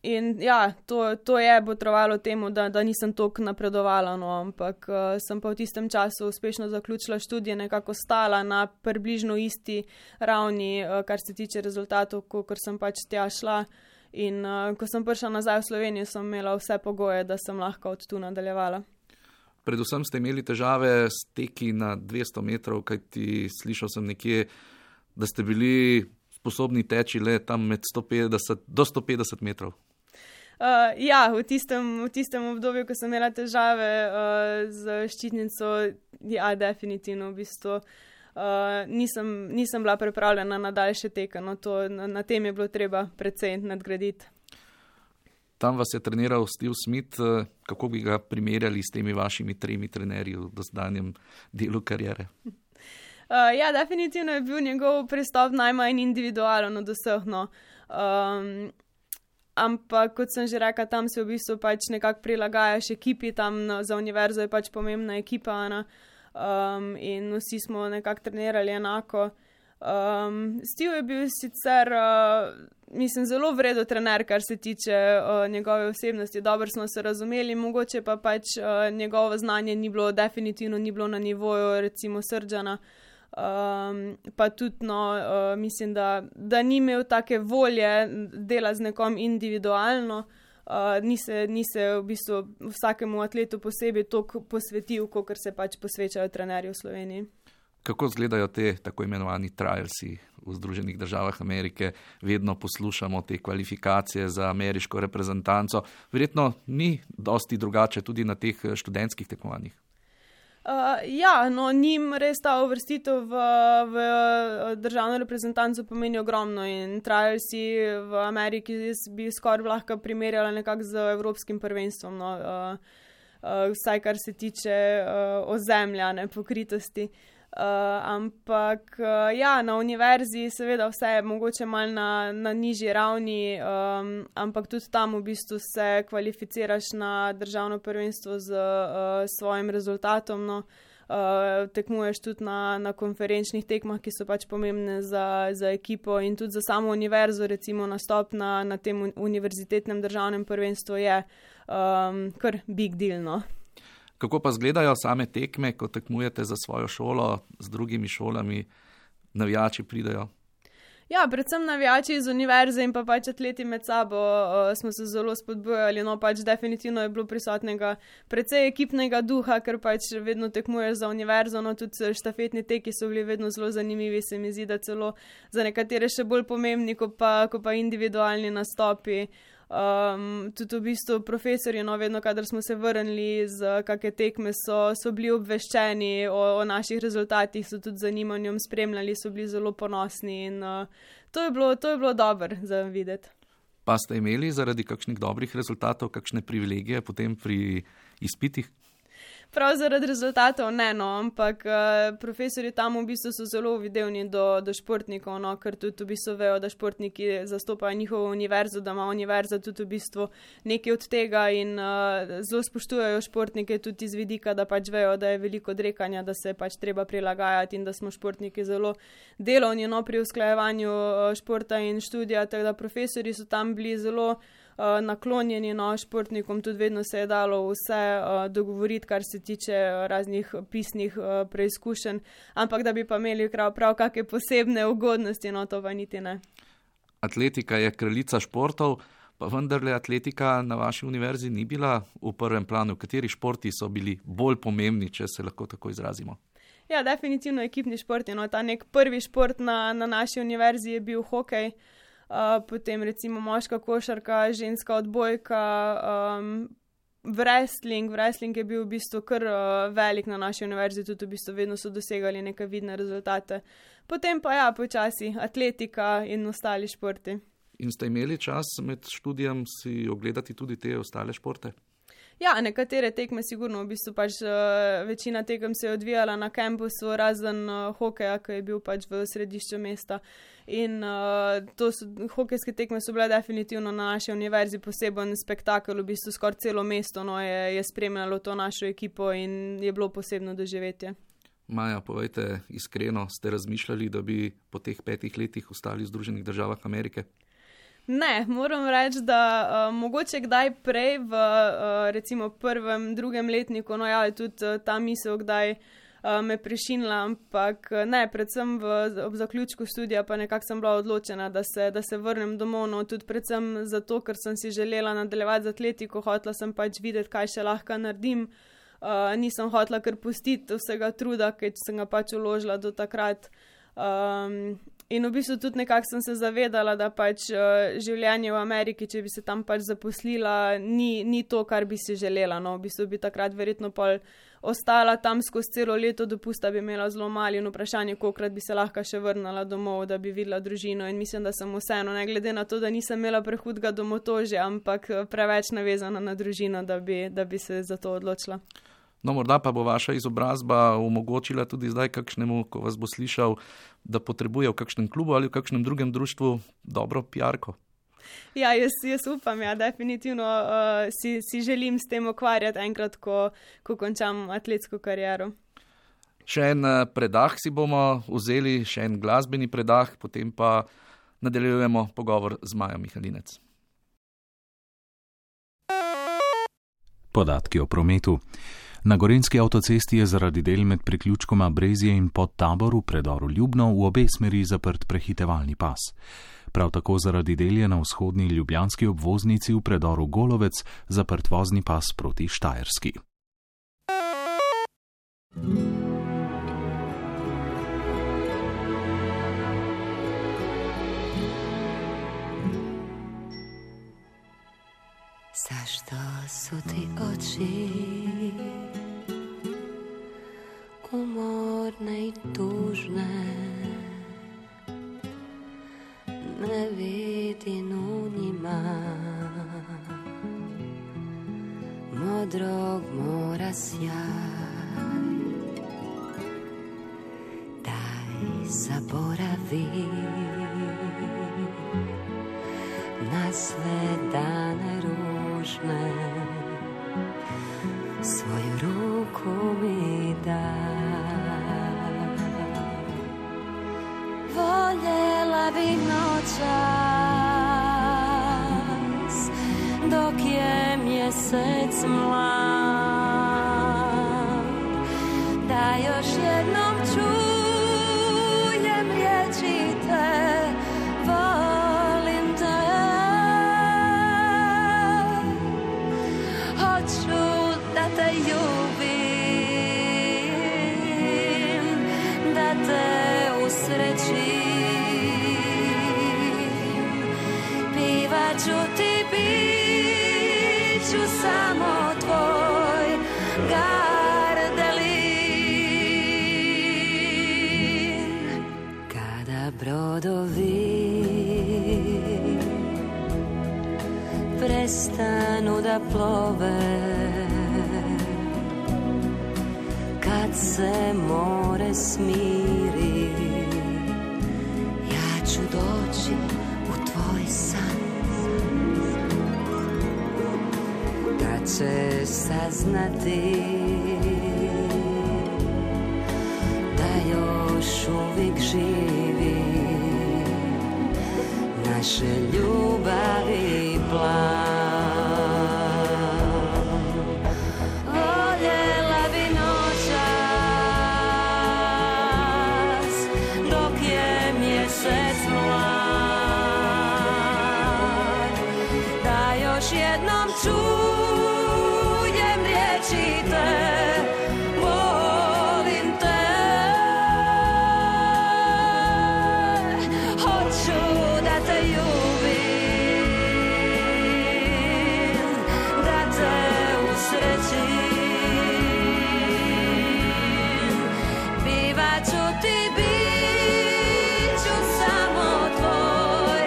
In ja, to je botrovalo temu, da nisem toliko napredovala, no, ampak sem pa v tistem času uspešno zaključila študije, nekako stala na približno isti ravni, kar se tiče rezultatov, kot sem pač tja šla. In ko sem prišla nazaj v Slovenijo, sem imela vse pogoje, da sem lahko od tu nadaljevala. Predvsem ste imeli težave s teki na 200 metrov, kajti slišal sem nekje, da ste bili sposobni teči le tam med 150 do 150 metrov. Ja, v tistem obdobju, ko sem imela težave z ščitnico, ja, definitivno v bistvu nisem bila pripravljena na daljše teke, no to na tem je bilo treba precej nadgraditi. Tam vas je treniral Steve Smith, kako bi ga primerjali s temi vašimi 3 trenerji v dosedanjem delu kariere? Ja, definitivno je bil njegov pristop najmanj individualen od vseh, no. Ampak, kot sem že rekla, tam se v bistvu pač nekako prilagajaš ekipi, tam za univerzo je pač pomembna ekipa, in vsi smo nekako trenirali enako. Steve je bil sicer, mislim, zelo vredo trener, kar se tiče njegove osebnosti, dobro smo se razumeli, mogoče pa pač njegovo znanje definitivno ni bilo na nivoju recimo Srdžana. Pa tudi mislim, da ni imel take volje dela z nekom individualno, ni se v bistvu vsakemu atletu posebej toliko posvetil, kakor se pač posvečajo trenerji v Sloveniji. Kako izgledajo te tako imenovani trialsi v Združenih državah Amerike? Vedno poslušamo te kvalifikacije za ameriško reprezentanco. Verjetno ni dosti drugače tudi na teh študentskih tekmovanjih. Ja, no, njim res ta uvrstitev v državno reprezentanco pomeni ogromno in trialsi v Ameriki bi skoraj lahko primerjala nekako z evropskim prvenstvom, no, vsaj kar se tiče ozemlja, ne, pokritosti. Ampak ja, na univerzi seveda vse je mogoče malo na nižji ravni, ampak tudi tam v bistvu se kvalificiraš na državno prvenstvo z svojim rezultatom, no. Tekmuješ tudi na konferenčnih tekmah, ki so pač pomembne za ekipo in tudi za samo univerzo, recimo nastop na tem univerzitetnem državnem prvenstvu je kar big deal, no. Kako pa izgledajo same tekme, ko tekmujete za svojo šolo, z drugimi šolami, navijači pridejo? Ja, predvsem navijači iz univerze in pa pač atleti med sabo smo se zelo spodbujali, no pač definitivno je bilo prisotnega precej ekipnega duha, ker pač vedno tekmuješ za univerzo, no tudi štafetni teki so bili vedno zelo zanimivi, se mi zdi, da celo za nekatere še bolj pomembni, ko pa individualni nastopi. Tudi v bistvu profesorji, no, vedno, kadar smo se vrnili z kakšne tekme, so bili obveščeni o naših rezultatih, so tudi z zanimanjem spremljali, so bili zelo ponosni in to je bilo dobro za videti. Pa ste imeli zaradi kakšnih dobrih rezultatov, kakšne privilegije potem pri izpitih? Prav zaradi rezultatov ne, no, ampak profesorji tam v bistvu so zelo uvidevni do športnikov, no, ker tudi v bistvu vejo, da športniki zastopajo njihovo univerzo, da ima univerza tudi v bistvu nekaj od tega in zelo spoštujejo športnike tudi iz vidika, da pač vejo, da je veliko odrekanja, da se pač treba prilagajati in da smo športniki zelo delovni, no, pri usklajevanju športa in študija, tako da profesorji so tam bili zelo naklonjeni, no, športnikom, tudi vedno se je dalo vse dogovoriti, kar se tiče raznih pisnih preizkušenj, ampak da bi pa imeli prav kakšne posebne ugodnosti, no, to pa niti ne. Atletika je kraljica športov, pa vendarle atletika na vaši univerzi ni bila v prvem planu. Kateri športi so bili bolj pomembni, če se lahko tako izrazimo? Ja, definitivno ekipni športi, no, ta nek prvi šport na naši univerzi je bil hokej, potem recimo moška košarka, ženska odbojka, wrestling je bil v bistvu kar velik na naši univerzi, tudi v bistvu vedno so dosegali neke vidne rezultate. Potem pa ja, počasi atletika in ostali športi. In ste imeli čas med študijem si ogledati tudi te ostale športe? Ja, nekatere tekme sigurno, v bistvu pač večina tekem se je odvijala na kampusu, razen hokeja, ki je bil pač v središču mesta. In hokejske tekme so bile definitivno na naši univerzi poseben spektakel, v bistvu skoraj celo mesto, no, je spremljalo to našo ekipo in je bilo posebno doživetje. Maja, povejte iskreno, ste razmišljali, da bi po teh 5 letih ostali v Združenih državah Amerike? Ne, moram reči, da mogoče kdaj prej v recimo prvem, drugem letniku, no ja, je tudi ta misel kdaj me prešinila, ampak ne, predvsem ob zaključku študija pa nekako sem bila odločena, da se vrnem domov, no tudi predvsem zato, ker sem si želela nadaljevati z atletiko, hotela sem pač videti, kaj še lahko naredim, nisem hotela kar pustiti vsega truda, ki sem ga pač vložila do takrat. In v bistvu tudi nekako sem se zavedala, da pač življenje v Ameriki, če bi se tam pač zaposlila, ni to, kar bi si želela. No, v bistvu bi takrat verjetno pol ostala tam skozi celo leto dopusta, bi imela zelo mali in vprašanje, kolikrat bi se lahko še vrnila domov, da bi videla družino. In mislim, da sem vseeno, ne glede na to, da nisem imela prehudega domotožja, ampak preveč navezana na družino, da bi se za to odločila. No, morda pa bo vaša izobrazba omogočila tudi zdaj kakšnemu, ko vas bo slišal, da potrebuje v kakšnem klubu ali v kakšnem drugem društvu dobro PR-ko. Ja, jaz upam, ja, definitivno si želim s tem ukvarjati enkrat, ko končam atletsko kariero. Še en predah si bomo vzeli, še en glasbeni predah, potem pa nadaljujemo pogovor z Majo Mihalinec. Podatki o prometu. Na Gorenjski avtocesti je zaradi del med priključkoma Brezje in Podtabor v predoru Ljubno v obe smeri zaprt prehitevalni pas. Prav tako zaradi del je na vzhodni ljubljanski obvoznici v predoru Golovec zaprt vozni pas proti Štajerski. Zašto su ti oči umorne i tužne, ne vidim u njima modrog mora sjaj. Daj zaboravi na sve dane ružne, svoju ruku mi daj. Voljela bi noćas dok je mjesec mlad, da još jednom čujem riječi te. Pivaću ti, biću samo tvoj gardelin. Kada brodovi prestanu da plove, kad se more smiri, ja ću doći u tvoj san. Da će saznati da još uvijek živi naše ljubavi plan. Jednom čujem riječi te, volim te. Hoću da te ljubim, da te usrećim. Bivaću ti, biću samo tvoj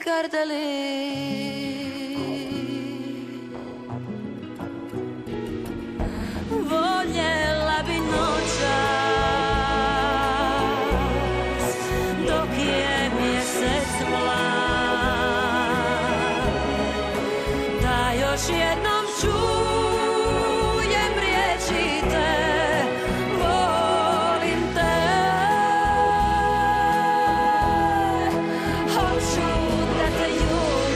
gardelin. Voljela bi noćas dok je mjesec mlad, da još jednom čujem riječi te, volim te. Hoću da te ljubim,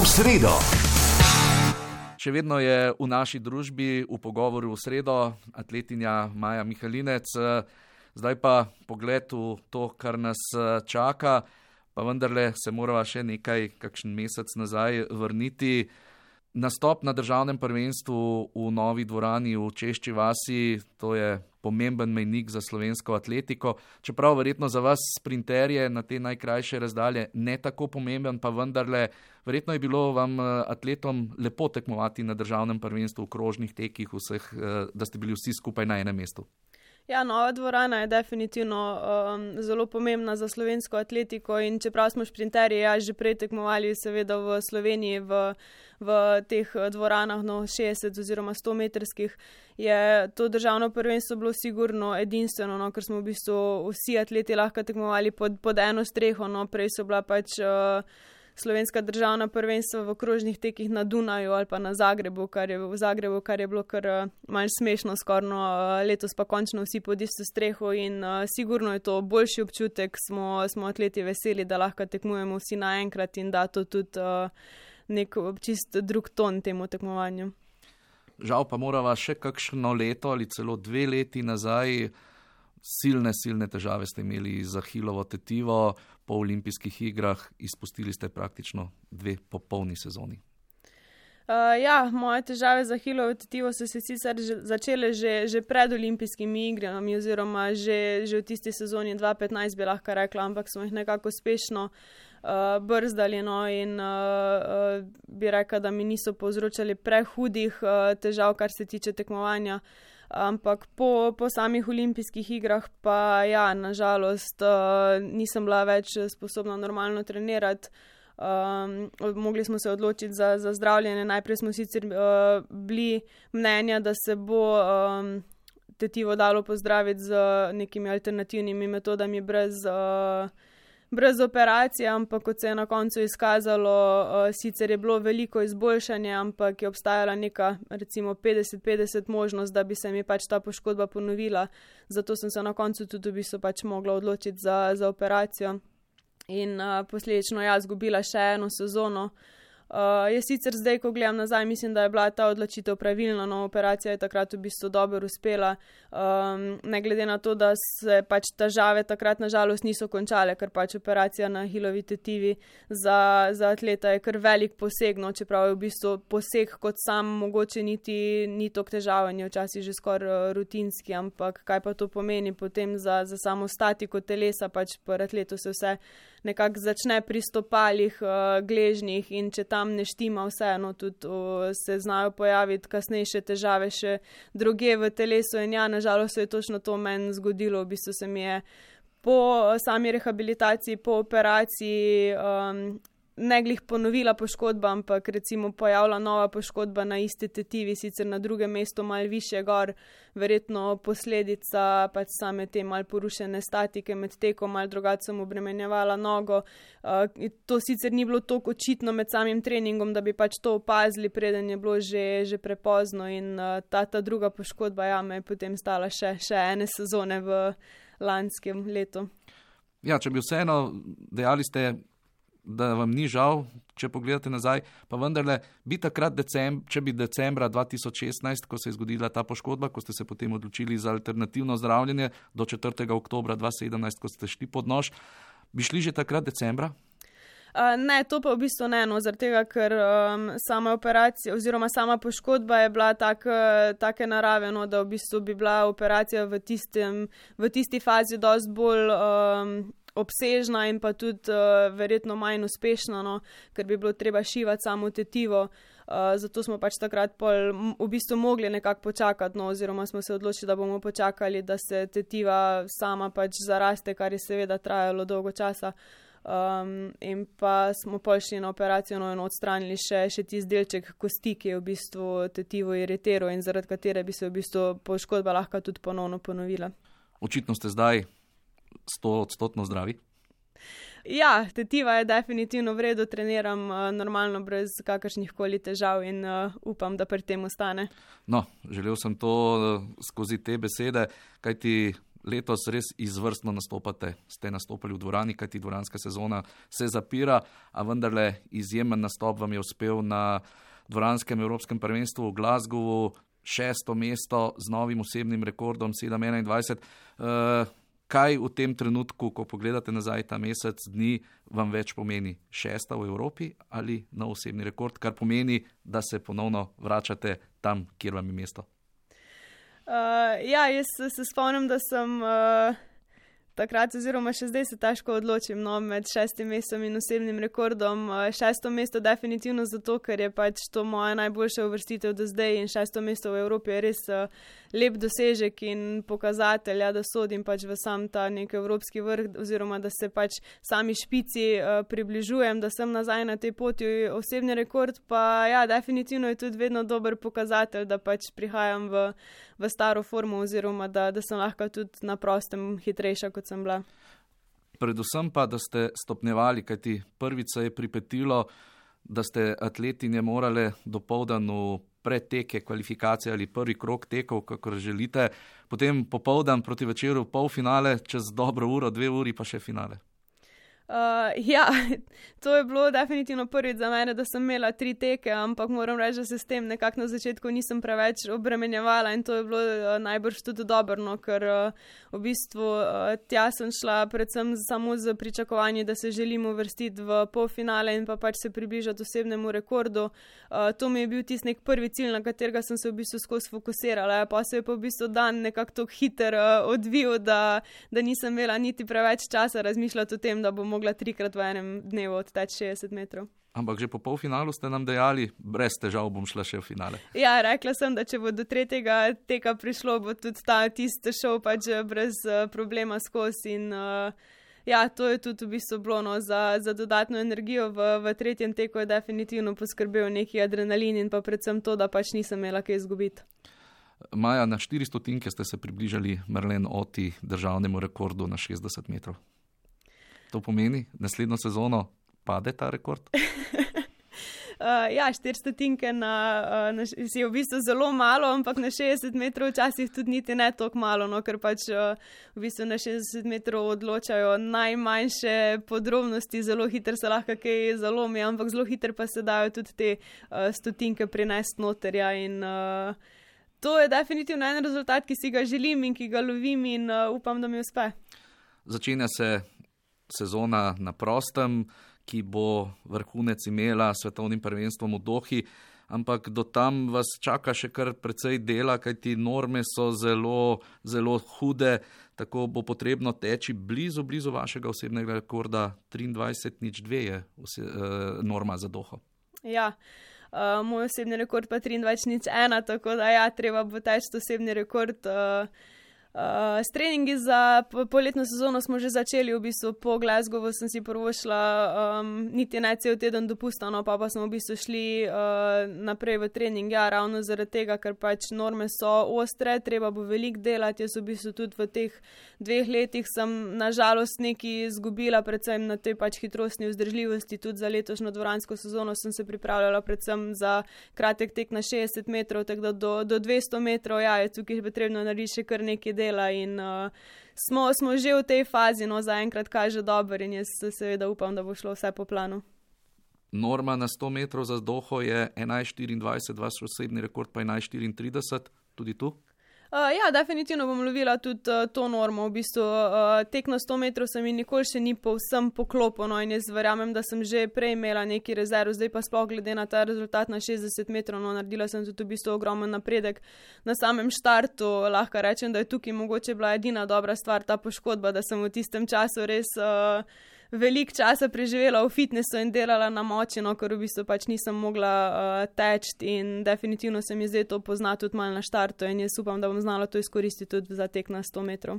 v sredo. Še vedno je v naši družbi v pogovoru v sredo atletinja Maja Mihalinec. Zdaj pa pogled v to, kar nas čaka, pa vendarle se morava še kakšen mesec nazaj vrniti. Nastop na državnem prvenstvu v novi dvorani v Češči vasi, to je pomemben mejnik za slovensko atletiko. Čeprav verjetno za vas sprinterje na te najkrajše razdalje ne tako pomemben, pa vendarle verjetno je bilo vam atletom lepo tekmovati na državnem prvenstvu v krožnih tekih vseh, da ste bili vsi skupaj na enem mestu. Ja, nova dvorana je definitivno zelo pomembna za slovensko atletiko in čeprav smo šprinterji že prej tekmovali seveda v Sloveniji v teh dvoranah 60 oziroma 100 metrskih, je to državno prvenstvo bilo sigurno edinstveno, ker smo v bistvu vsi atleti lahko tekmovali pod eno streho, prej so bila pač slovenska državna prvenstva v krožnih tekih na Dunaju ali pa na Zagrebu, kar je bilo kar malo smešno skorno, letos pa končno vsi pod isto streho in sigurno je to boljši občutek, smo atleti veseli, da lahko tekmujemo vsi naenkrat in da to tudi nek čist drug ton temu tekmovanju. Žal pa morava še kakšno leto ali celo 2 leti nazaj. Silne težave ste imeli z ahilovo tetivo, po olimpijskih igrah izpustili ste praktično 2 popolni sezoni. Moje težave z ahilovo tetivo so se sicer začele že pred olimpijskimi igrami oziroma že v tisti sezoni 2015 bi lahko rekla, ampak smo jih nekako uspešno brzdali in bi rekla, da mi niso povzročali prehudih težav, kar se tiče tekmovanja. Ampak po samih olimpijskih igrah pa nažalost nisem bila več sposobna normalno trenirati. Mogli smo se odločiti za zdravljenje. Najprej smo sicer bili mnenja, da se bo tetivo dalo pozdraviti z nekimi alternativnimi metodami brez operacije, ampak kot se je na koncu izkazalo, sicer je bilo veliko izboljšanje, ampak je obstajala neka recimo 50-50 možnost, da bi se mi pač ta poškodba ponovila. Zato sem se na koncu tudi v bistvu pač mogla odločiti za operacijo in posledično izgubila še eno sezono. Jaz sicer zdaj, ko gledam nazaj, mislim, da je bila ta odločitev pravilna, operacija je takrat v bistvu dobro uspela, ne glede na to, da se pač težave takrat nažalost niso končale, ker pač operacija na ahilovi tetivi za atleta je kar velik poseg, čeprav je v bistvu poseg kot sam mogoče ni toliko težaven, je včasih že skoraj rutinski, ampak kaj pa to pomeni potem za samo statiko telesa, pač pri atletu se vse nekako začne pri stopalih, gležnjih in če tam ne štima vseeno, tudi se znajo pojaviti kasnejše težave še drugje v telesu in nažalost se je točno to meni zgodilo, v bistvu se mi je po sami rehabilitaciji, po operaciji ne glih ponovila poškodba, ampak recimo pojavila nova poškodba na isti tetivi, sicer na drugem mestu malo više gor, verjetno posledica pač same te malo porušene statike med tekom, malo drugače sem obremenjevala nogo. To sicer ni bilo toliko očitno med samim treningom, da bi pač to opazili, preden je bilo že prepozno in ta druga poškodba me je potem stala še ene sezone v lanskem letu. Ja, če bi vseeno dejali ste, da vam ni žal, če pogledate nazaj, pa vendarle bi takrat če bi decembra 2016, ko se je zgodila ta poškodba, ko ste se potem odločili za alternativno zdravljenje do 4. oktobra 2017, ko ste šli pod nož, bi šli že takrat decembra? Ne, to pa v bistvu ne, zaradi tega, ker sama operacija oziroma sama poškodba je bila take narave, da v bistvu bi bila operacija v tisti fazi dosti bolj obsežna in pa tudi verjetno manj uspešna, ker bi bilo treba šivati samo tetivo. Zato smo pač takrat v bistvu mogli nekako počakati, oziroma smo se odločili, da bomo počakali, da se tetiva sama pač zaraste, kar je seveda trajalo dolgo časa. In pa smo šli na operacijo in odstranili še tisti delček kosti, ki je v bistvu tetivo iritiral in zaradi katere bi se v bistvu poškodba lahko tudi ponovno ponovila. Očitno ste zdaj 100% zdravi? Ja, tetiva je definitivno v redu, treniram normalno brez kakršnih koli težav in upam, da pri tem ostane. No, želel sem to skozi te besede, kajti letos res izvrstno nastopate. Ste nastopali v dvorani, kajti dvoranska sezona se zapira, a vendarle izjemen nastop vam je uspel na dvoranskem evropskem prvenstvu v Glasgowu, 6. mesto z novim osebnim rekordom 7:21. Kaj v tem trenutku, ko pogledate nazaj ta mesec dni, vam več pomeni? 6. v Evropi ali nov osebni rekord, kar pomeni, da se ponovno vračate tam, kjer vam je mesto? Jaz se spomnim, da sem takrat oziroma še zdaj se težko odločim med 6. mestom in osebnim rekordom. 6. mesto definitivno zato, ker je pač to moja najboljša uvrstitev do zdaj in 6. mesto v Evropi je res lep dosežek in pokazatelj, da sodim pač v sam ta nek evropski vrh oziroma da se pač sami špici približujem, da sem nazaj na tej poti. Osebni rekord pa definitivno je tudi vedno dober pokazatelj, da pač prihajam v staro formo oziroma da sem lahko tudi na prostem hitrejša, kot sem bila. Predvsem pa, da ste stopnjevali, kajti prvič se je pripetilo, da ste atletinje morale dopoldan v predteke, kvalifikacije ali prvi krog tekov, kakor želite, potem popoldan proti večeru polfinale, čez dobro uro, 2 uri pa še finale. To je bilo definitivno prvič za mene, da sem imela 3 teke, ampak moram reči, da se s tem nekako na začetku nisem preveč obremenjevala in to je bilo najbrž tudi dobro, ker v bistvu tja sem šla predvsem samo z pričakovanjem, da se želim uvrstiti v polfinale in pa pač se približati osebnemu rekordu. To mi je bil tisti nek prvi cilj, na katerega sem se v bistvu skozi fokusirala, pa se je pa v bistvu dan nekako tako hiter odvil, da nisem imela niti preveč časa razmišljati o tem, da bom mogla 3-krat v enem dnevu odteči 60 metrov. Ampak že po polfinalu ste nam dejali, brez težav bom šla še v finale. Ja, rekla sem, da če bo do 3. teka prišlo, bo tudi tisti šel pač brez problema skozi in to je tudi v bistvu bilo za dodatno energijo v 3. teku je definitivno poskrbel neki adrenalin in pa predvsem to, da pač nisem imela kaj izgubiti. Maja, na 400 ste se približali Marlene Otti državnemu rekordu na 60 metrov. To pomeni, naslednjo sezono pade ta rekord? 400 je v bistvu zelo malo, ampak na 60 metrov včasih tudi niti ne toliko malo, ker pač v bistvu na 60 metrov odločajo najmanjše podrobnosti, zelo hitro se lahko kaj zalomi, ampak zelo hitro pa se dajo tudi te stotinke prinesti noterja in to je definitivno en rezultat, ki si ga želim in ki ga lovim in upam, da mi uspe. Začenja se sezona na prostem, ki bo vrhunec imela svetovnim prvenstvom v Dohi, ampak do tam vas čaka še kar precej dela, kajti norme so zelo, zelo hude, tako bo potrebno teči blizu vašega osebnega rekorda. 23:02 je norma za Doho. Ja, moj osebni rekord pa 23:01, tako da treba bo teči osebni rekord. S treningi za poletno sezono smo že začeli, v bistvu po Glasgowu sem si prvošla niti ne cel teden dopusta, pa smo v bistvu šli naprej v trening, ravno zaradi tega, ker pač norme so ostre, treba bo veliko delati. Jaz v bistvu tudi v teh 2 letih sem nažalost nekaj izgubila, predvsem na tej pač hitrostni vzdržljivosti, tudi za letošnjo dvoransko sezono sem se pripravljala predvsem za kratek tek na 60 metrov, tako da do 200 metrov je tukaj potrebno narediti še kar nekaj dela in smo že v tej fazi, zaenkrat kaže dobro in jaz seveda upam, da bo šlo vse po planu. Norma na 100 metrov za Doho je 11:24, vaš osebni rekord pa 11:34, tudi tu? Definitivno bom lovila tudi to normo. V bistvu tek na 100 metrov se mi nikoli še ni povsem poklopil in jaz verjamem, da sem že prej imela neki rezerv, zdaj pa sploh glede na ta rezultat na 60 metrov, naredila sem tudi v bistvu ogromen napredek na samem štartu. Lahko rečem, da je tukaj mogoče bila edina dobra stvar ta poškodba, da sem v tistem času res veliko časa preživela v fitnessu in delala na moči, ker v bistvu pač nisem mogla teči in definitivno se mi zdaj to pozna tudi malo na štartu in jaz upam, da bom znala to izkoristiti tudi za tek na 100 metrov.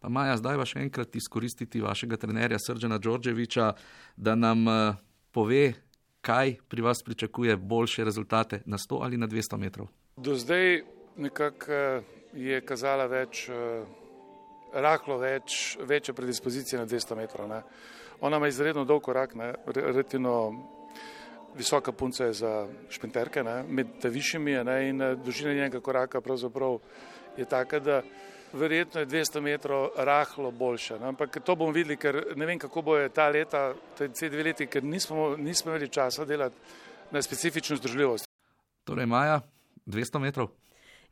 Pa Maja, zdaj pa še enkrat izkoristiti vašega trenerja Srđana Đorđevića, da nam pove, kaj pri vas pričakuje boljše rezultate na 100 ali na 200 metrov. Do zdaj nekako je kazala rahlo večja predispozicija na 200 metrov. Ne. Ona ima izredno dolg korak, relativno visoka punca je za šprinterke, med višjimi je in dolžina njenega koraka pravzaprav je taka, da verjetno je 200 metrov rahlo boljša. No, ampak to bomo videli, ker ne vem, kako bo je ta leta, te 2 leti, ker nismo imeli časa delati na specifično združljivost. Torej, Maja, 200 metrov?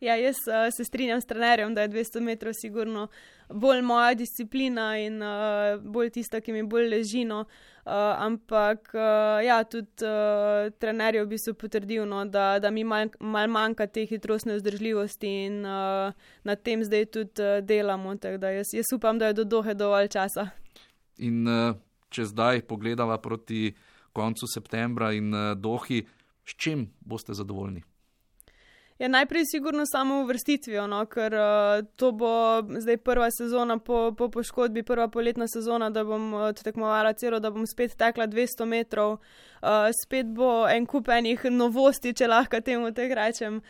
Ja, jaz se strinjam s trenerjem, da je 200 metrov sigurno bolj moja disciplina in bolj tista, ki mi bolj leži. No. Ampak ja, tudi trener je v bistvu potrdil, no, da mi mal manjka te hitrostne vzdržljivosti in na tem zdaj tudi delamo. Tako da jaz upam, da je do Dohe dovolj časa. In če zdaj pogledava proti koncu septembra in Dohi, s čim boste zadovoljni? Ja, najprej sigurno samo uvrstitvijo, no, ker to bo zdaj prva sezona po poškodbi, prva poletna sezona, da bom tekmovala celo, da bom spet tekla 200 metrov. Spet bo en kup enih novosti, če lahko temu tako rečem.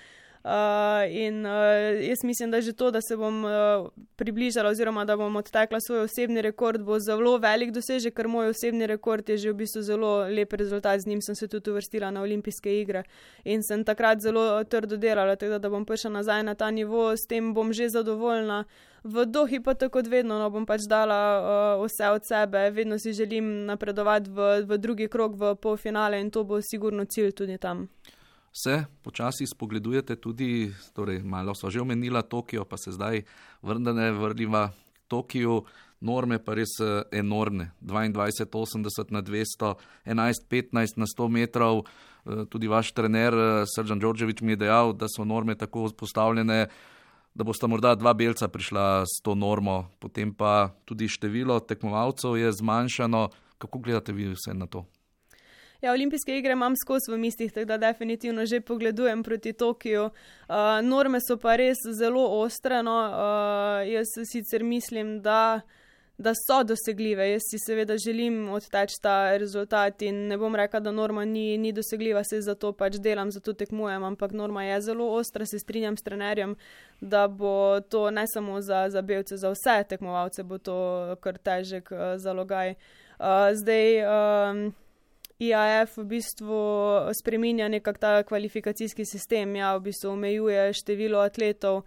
In jaz mislim, da že to, da se bom približala oziroma da bom odtekla svoj osebni rekord, bo zelo velik dosežek, ker moj osebni rekord je že v bistvu zelo lep rezultat, z njim sem se tudi uvrstila na olimpijske igre in sem takrat zelo trdo delala, tako da bom prišla nazaj na ta nivo, s tem bom že zadovoljna. V Dohi pa tako kot vedno, no, bom pač dala vse od sebe, vedno si želim napredovati v drugi krog, v polfinale in to bo sigurno cilj tudi tam. Se počasi spogledujete tudi, torej malo sva že omenila Tokio, pa se zdaj vrniva Tokiju, norme pa res enormne, 22,80 na 200, 11,15 na 100 metrov, tudi vaš trener Srđan Đorđević mi je dejal, da so norme tako postavljene, da bosta morda 2 belca prišla s to normo, potem pa tudi število tekmovalcev je zmanjšano. Kako gledate vi vse na to? Ja, olimpijske igre imam skozi v mislih, tako da definitivno že pogledujem proti Tokiju. Norme so pa res zelo ostre, no. Jaz sicer mislim, da so dosegljive. Jaz si seveda želim odteči ta rezultat in ne bom rekla, da norma ni dosegljiva, se zato pač delam, zato tekmujem, ampak norma je zelo ostra, se strinjam s trenerjem, da bo to ne samo za belce, za vse tekmovalce bo to kar težek zalogaj. Zdaj IAF v bistvu spreminja nekak ta kvalifikacijski sistem, ja, v bistvu omejuje število atletov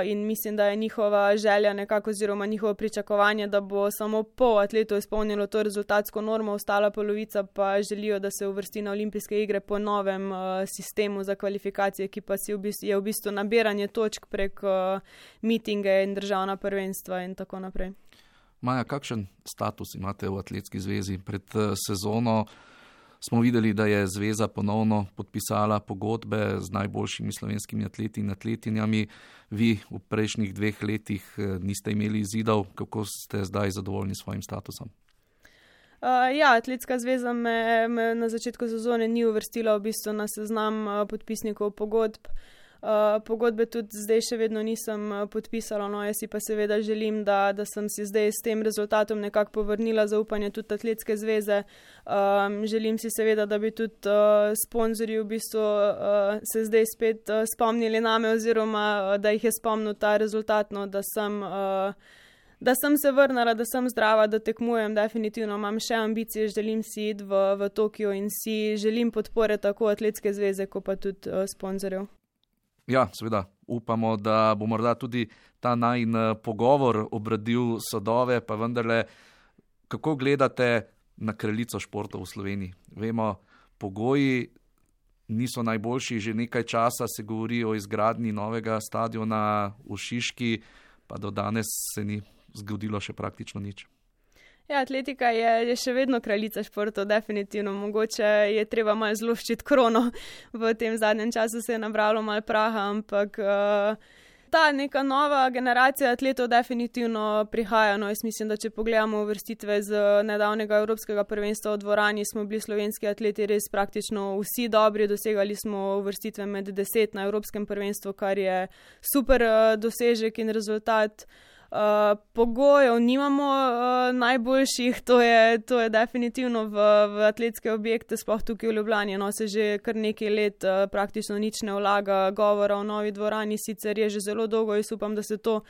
in mislim, da je njihova želja nekako oziroma njihovo pričakovanje, da bo samo pol atletov izpolnilo to rezultatsko normo, ostala polovica pa želijo, da se uvrsti na olimpijske igre po novem sistemu za kvalifikacije, ki pa je v bistvu nabiranje točk prek mitinge in državna prvenstva in tako naprej. Maja, kakšen status imate v Atletski zvezi? Pred sezono smo videli, da je zveza ponovno podpisala pogodbe z najboljšimi slovenskimi atleti in atletinjami. Vi v prejšnjih 2 letih niste imeli izidov. Kako ste zdaj zadovoljni s svojim statusom? Ja, Atletska zveza me na začetku sezone ni uvrstila v bistvu na seznam podpisnikov pogodb. Pogodbe tudi zdaj še vedno nisem podpisala, no jaz si pa seveda želim, da sem si zdaj s tem rezultatom nekako povrnila zaupanje tudi Atletske zveze. Želim si seveda, da bi tudi sponzorji v bistvu se zdaj spet spomnili name oziroma da jih je spomnil ta rezultat, no, da sem se vrnila, da sem zdrava, da tekmujem, definitivno imam še ambicije, želim si iti v Tokio in si želim podpore tako Atletske zveze, kot pa tudi sponzorjev. Ja, seveda, upamo, da bo morda tudi ta najin pogovor obradil sadove, pa vendarle, kako gledate na kraljico športov v Sloveniji? Vemo, pogoji niso najboljši, že nekaj časa se govori o izgradnji novega stadiona v Šiški, pa do danes se ni zgodilo še praktično nič. Ja, atletika je še vedno kraljica športov, definitivno. Mogoče je treba malo zloščiti krono. V tem zadnjem času se je nabralo malo praha, ampak ta neka nova generacija atletov definitivno prihaja. No, jaz mislim, da če pogledamo uvrstitve z nedavnega Evropskega prvenstva v dvorani, smo bili slovenski atleti res praktično vsi dobri. Dosegali smo uvrstitve med 10 na Evropskem prvenstvu, kar je super dosežek in rezultat. Pogojev nimamo najboljših, to je definitivno v atletske objekte, sploh tukaj v Ljubljani, no se že kar nekaj let praktično nič ne vlaga, govora o novi dvorani sicer je že zelo dolgo, jaz upam, da se to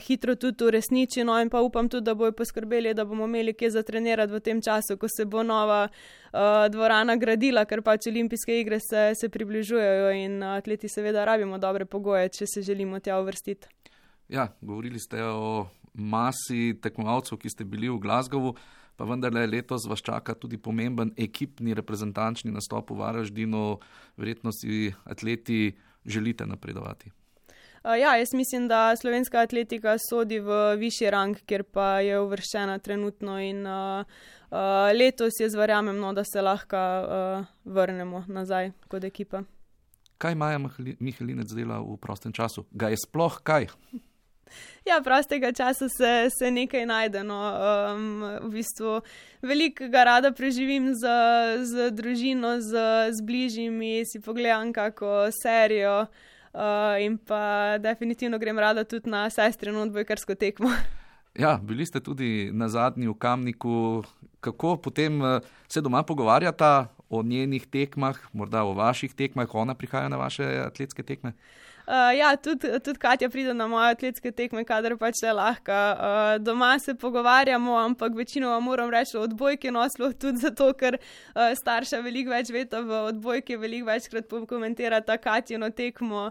hitro tudi uresniči, no in pa upam tudi, da bojo poskrbeli, da bomo imeli kje za trenirati v tem času, ko se bo nova dvorana gradila, ker pač olimpijske igre se približujejo in atleti seveda rabimo dobre pogoje, če se želimo tja uvrstiti. Ja, govorili ste o masi tekmovalcev, ki ste bili v Glasgowu, pa vendarle letos vas čaka tudi pomemben ekipni reprezentančni nastop v Varaždinu. Verjetno si atleti želite napredovati. Ja, jaz mislim, da slovenska atletika sodi v višji rang, kjer pa je uvrščena trenutno in letos jaz verjamem, da se lahko vrnemo nazaj kot ekipa. Kaj Maja Mihalinec dela v prostem času? Ga je sploh kaj? Ja, prostega časa se nekaj najde. V bistvu veliko ga rada preživim z družino, z bližnjimi, si pogledam kako serijo in pa definitivno grem rada tudi na sestrino odbojkarsko tekmo. Ja, bili ste tudi na zadnji v Kamniku. Kako potem se doma pogovarjata o njenih tekmah, morda o vaših tekmah, ona prihaja na vaše atletske tekme? Ja, tudi Katja pride na moje atletske tekme, kadar pač le lahko. Doma se pogovarjamo, ampak večinoma moram reči o odbojki noslo, tudi zato, ker starša veliko več veta v odbojki, veliko večkrat pokomentirata Katjino tekmo.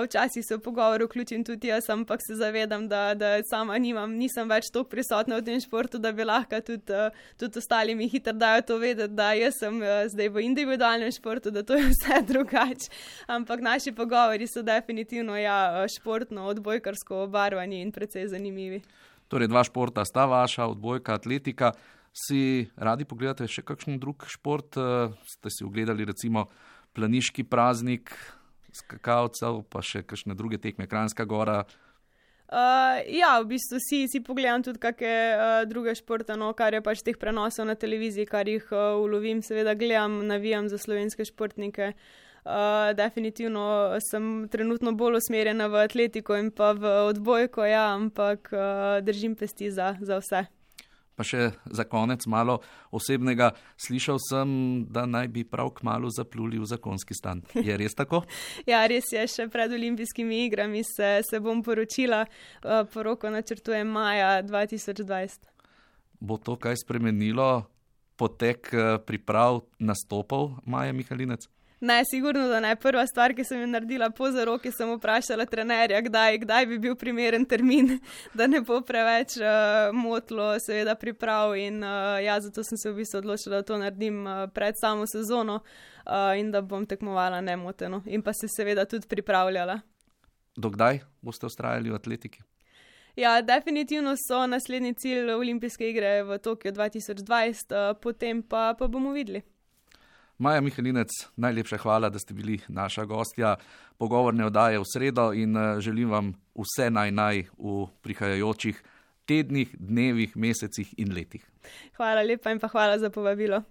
Včasih se v pogovor vključim tudi jaz, ampak se zavedam, da sama nisem več toliko prisotna v tem športu, da bi lahko tudi ostali mi hitro dajo to vedeti, da jaz sem zdaj v individualnem športu, da to je vse drugače. Ampak naši pogovori so definitivno športno, odbojkarsko obarvani in precej zanimivi. Torej, dva športa sta vaša, odbojka, atletika. Si radi pogledate še kakšen drug šport? Ste si ogledali recimo planiški praznik skakalcev, pa še kakšne druge tekme, Kranjska gora? Ja, v bistvu si pogledam tudi kakšne druge športe, kar je pač teh prenosov na televiziji, kar jih ulovim, seveda gledam, navijam za slovenske športnike. Definitivno sem trenutno bolj usmerjena v atletiko in pa v odbojko, ja, ampak držim pesti za vse. Pa še za konec malo osebnega. Slišal sem, da naj bi prav kmalu zapluli v zakonski stan. Je res tako? Ja, res je. Še pred olimpijskimi igrami se bom poročila. Poroko načrtujem maja 2020. Bo to kaj spremenilo potek priprav nastopov Maje Mihalinec? Ne, sigurno, da ne. Prva stvar, ki sem jo naredila po zaroki, sem vprašala trenerja, kdaj bi bil primeren termin, da ne bo preveč motlo seveda priprav in zato sem se v bistvu odločila, da to naredim pred samo sezono in da bom tekmovala nemoteno in pa se seveda tudi pripravljala. Do kdaj boste vztrajali v atletiki? Ja, definitivno so naslednji cilj olimpijske igre v Tokiu 2020, potem pa bomo videli. Maja Mihalinec, najlepša hvala, da ste bili naša gostja pogovorne oddaje v sredo in želim vam vse naj v prihajajočih tednih, dnevih, mesecih in letih. Hvala lepa in pa hvala za povabilo.